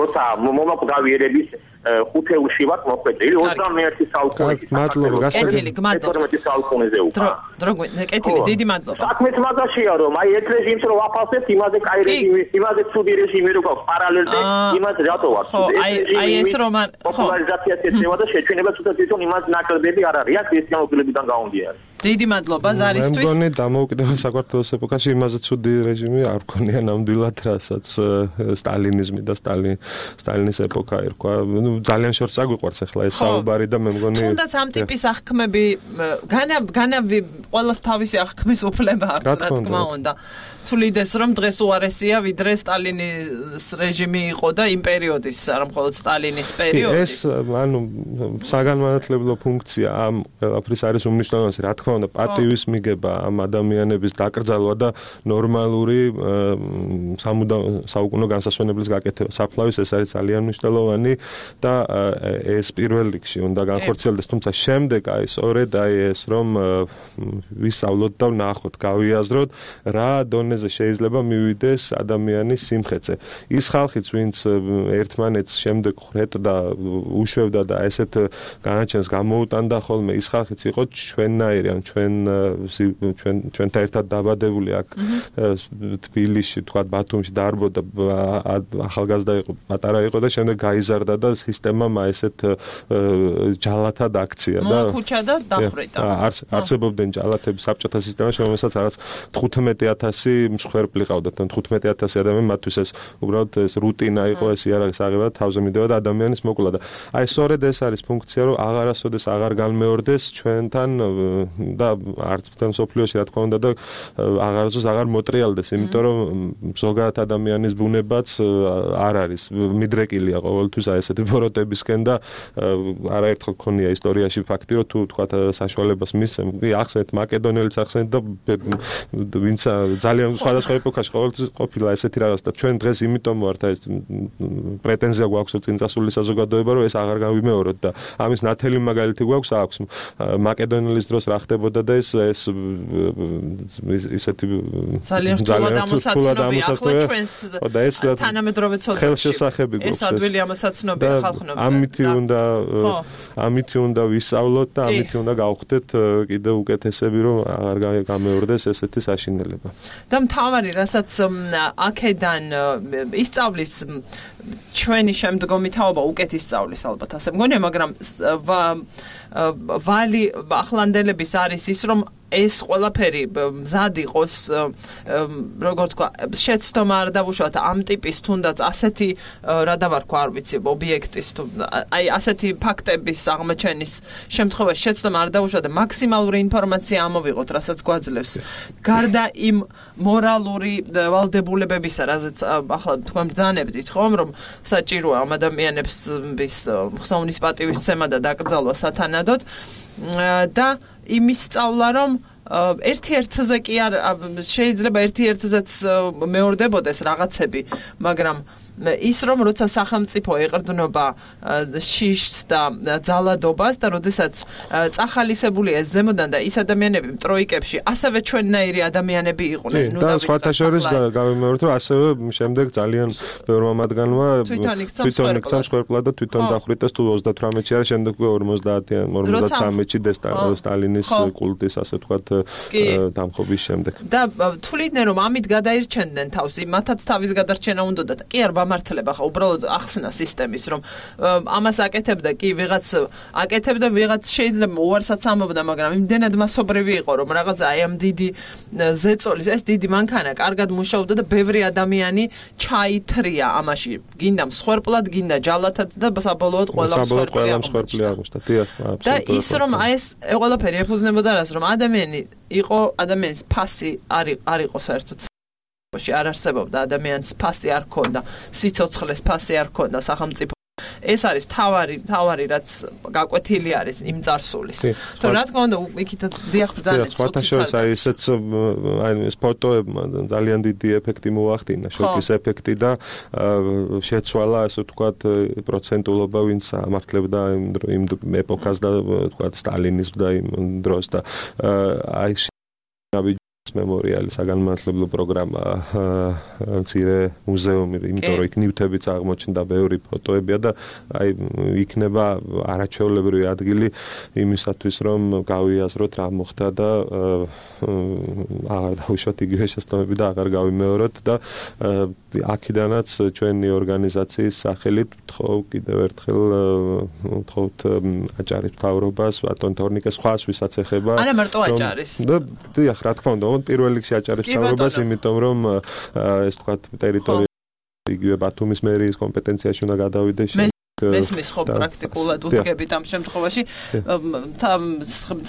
როცა მომაკვდავიერების ხუთეულში ვართ მოხვედრილი ოცდამეერთი საუკუნის მადლობა გასაგები ეთორმეტი საუკუნეზე უკვე დრო კეთილი დიდი მადლობა საქმეც მაგაშია რომ აი ეს რეჟიმს რო ვაფასებთ იმაზე კაი რეჟიმი იმაზე ცუდი რეჟიმი რო გაქვს პარალელზე იმაზე რატო ვარ ხო აი აი ეს რომ ხო პოლარიზაციას ეწევა და შეჩვენება თუნდაც თვითონ იმას ნაკლებები არ არის აქ ქრისტიანობილებიდან გაუნდიან დიდი მადლობა ზარისთვის. მე მგონი დამოუკიდებელ საქართველოს ეპოქაში იმაზე ცუდი რეჟიმი არ ქონია ნამდვილად, რასაც სტალინიზმი და სტალინ სტალინის ეპოქა ერქვა. ნუ ძალიან შორს აგვიყვარს ახლა ეს საუბარი და მე მგონი თუნდაც ამ ტიპის აღქმები განა განა ყოველს თავისი აღქმის უფლება აქვს, რა თქმა უნდა. თulides რომ დღეს უარესია ვიდრე სტალინის რეჟიმი იყო და იმ პერიოდის არ მხოლოდ სტალინის პერიოდი. ეს ანუ საგანმანათლებლო ფუნქცია ამ ყველაფრის არის უმნიშვნელოვანესი. რა თქმა უნდა პატივის მიგება ამ ადამიანების დაკრძალვა და ნორმალური საუკუნო განსასვენებლის გაკეთება საფლავის ეს არის ძალიან მნიშვნელოვანი და ეს პირველ რიგში უნდა განხორციელდეს თუმცა შემდეგ აი სწორედ აი ეს რომ ვისწავლოთ და ვნახოთ გავიაზროთ რა დონეზე შეიძლება მივიდეს ადამიანის სიმხეცე. ის ხალხიც ვინც ერთმანეთს შემდეგ ხრეტდა უშვევდა და ესეთ განაჩენს გამოუტანდა ხოლმე ის ხალხიც იყო ჩვენნაირი ან ჩვენ ჩვენ ჩვენთან ერთად დაბადებული აქ თბილისში თქვა ბათუმში დაარბოდა ახალგაზრდა იყო პატარა იყო და შემდეგ გაიზარდა და სისტემამ ესეთ ჯალათად აქცია და მოხუჩა და დახრიტა. არსებობდნენ ჯალათები საბჭოთა სისტემაში რომელსაც რაღაც თხუთმეტი ათასი მსხვერპლი ყავდათ ან თხუთმეტი ათასი ადამიანი მათთვის ეს უბრალოდ ეს რუტინა იყო ეს იარაღის აღება თავზე მიდევა და ადამიანის მოკლა და აი სწორედ ეს არის ფუნქცია რომ აღარასოდეს აღარ განმეორდეს ჩვენთან და არც თან სოფლიოში რა თქმა უნდა და აღარასოდეს აღარ მოტრიალდეს იმიტომ რომ ზოგადად ადამიანის ბუნებაც არ არის მიდრეკილია ყოველთვის აი ესეთი ბოროტებისკენ და არაერთხელ ქონია ისტორიაში ფაქტი რომ თუ თქვა საშუალებას მისცემ ახსენეთ მაკედონელიც ახსენეთ და ვინც ძალიან სხვადასხვა ეპოქაში ყოველთვის ყოფილა ესეთი რაღაც და ჩვენ დღეს იმიტომ ვართ ეს პრეტენზია გვაქვს წინწასული საზოგადოება რომ ეს აღარ გავიმეოროთ და ამის ნათელი მაგალითი გვაქვს აქვს მაკედონელის დროს რა ხდებოდა და ეს ეს ისეთი ძალიან რთულად ამოსაცნობია ჩვენს და ეს თანამედროვე ცოდნაში ხელშესახები გვაქვს ეს ადვილი ამოსაცნობია ხალხნობა ამითი უნდა ამითი უნდა ვისწავლოთ და ამითი უნდა გავხდეთ კიდევ უკეთესები რომ აღარ გამეორდეს ესეთი საშინელება და მთავარი რასაც აქედან ისწავლის ჩვენი შემდგომი თაობა უკეთ ისწავლის ალბათ ასე მგონია მაგრამ ვალი ახლანდელების არის ის რომ ეს ყველაფერი მზად იყოს როგორ თქვა შეცდომა არ დავუშვათ ამ ტიპის თუნდაც ასეთი რა დავარქვა არ ვიცი ობიექტის თუ აი ასეთი ფაქტების აღმოჩენის შემთხვევაში შეცდომა არ დავუშვათ და მაქსიმალური ინფორმაცია ამოვიღოთ რასაც გვაძლევს გარდა იმ მორალური ვალდებულებებისა რაზეც ახლა თქვენ ბრძანებდით ხომ რომ საჭიროა ამ ადამიანებს ხსოვნის პატივისცემა და დაკრძალვა სათანადოდ და იმის სწავლა რომ ერთ-ერთზე კი არ შეიძლება ერთ-ერთზეც მეორდებოდეს რაღაცები მაგრამ ის რომ როცა სახელმწიფო ეყრდნობა შიშს და ძალადობას და როდესაც წახალისებულია ზემოდან და ის ადამიანები ტროიკებში ასევე ჩვენნაირი ადამიანები იყვნენ ნუ და სხვათა შორის გავიმეორეთ რომ ასევე შემდეგ ძალიან ბევრმა მათგანმა თვითონ იქცა მსხვერპლად და თვითონ დახვრიტეს თუ ოცდათვრამეტში არა შემდეგ ორმოცდაათიან ორმოცდათრამეტში სტალინის კულტის ასე ვთქვათ დამხობის შემდეგ და თuliდნენ რომ ამით გადაირჩენდნენ თავს მათაც თავის გადარჩენა უნდათ კი არ გამართლება ხო უბრალოდ ახსნა სისტემის რომ ამას აკეთებდა კი ვიღაც აკეთებდა ვიღაც შეიძლება უარსაც ამობდა მაგრამ იმდენად მასობრივი იყო რომ რაღაცა აი ამ დიდი ზეწოლის ეს დიდი მანქანა კარგად მუშაობდა და ბევრი ადამიანი ჩაითრია ამაში გინდა მსხვერპლად გინდა ჯალათად და საბოლოოდ ყველა მსხვერპლი აღმოჩნდა დიახ და ის რომ აი ეს ყველაფერი ეფუძნებოდა რას რომ ადამიანი იყო ადამიანის ფასი არ არ იყო საერთოდ არ არსებობდა ადამიანის ფასი არ ქონდა სიცოცხლეს ფასი არ ქონდა სახელმწიფო ეს არის თავარი თავარი რაც გაკვეთილი არის იმ წარსულის თუ რა თქმა უნდა იქითაც დიახ ბრძანეთ სხვათაშორის აი ესეც აი ეს ფოტოებმა ძალიან დიდი ეფექტი მოახდინა შოკის ეფექტი და შეცვალა ასე ვთქვათ პროცენტულობა ვინც ამართლებდა იმ ეპოქას და ვთქვათ სტალინიზმს და იმ დროს და აი მემორიალი საგანმანათლებლო პროგრამა მცირე მუზეუმი იმიტომ რომ იქ ნივთებიც აღმოჩნდა ბევრი ფოტოებია და აი იქნება არაჩვეულებრივი ადგილი იმისათვის რომ გავიაზროთ რა მოხდა და აღარ დავუშვათ იგივე შეცდომები და აღარ გავიმეოროთ და აქედანაც ჩვენი ორგანიზაციის სახელით ვთხოვ კიდევ ერთხელ ვთხოვთ აჭარის მთავრობას ბატონ თორნიკეს სხვას ვისაც ეხება არა მარტო აჭარის და დიახ რა თქმა უნდა პირველ რიგში აჭარის მთავრობას იმიტომ რომ ეს თქვათ ტერიტორია იგივე ბათუმის მერიის კომპეტენციაში უნდა გადავიდეს მესმის ხო პრაქტიკულად უდგებით ამ შემთხვევაში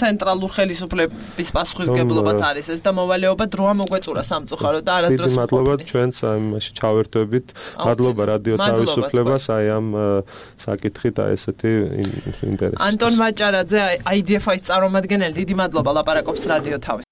ცენტრალურ ხელისუფლების პასუხისმგებლობაც არის ეს და მოვალეობა დროა მოგვეწურა სამწუხაროდ და არადროს დიდი მადლობა ჩვენს ამაში ჩავერთვებით მადლობა რადიო თავისუფლებას აი ამ საკითხით აი ესეთი ინტერესი ანტონ მაჭარაძე აი დი ეფ-ის წარმომადგენელი დიდი მადლობა ლაპარაკობს რადიო თავისუფლებას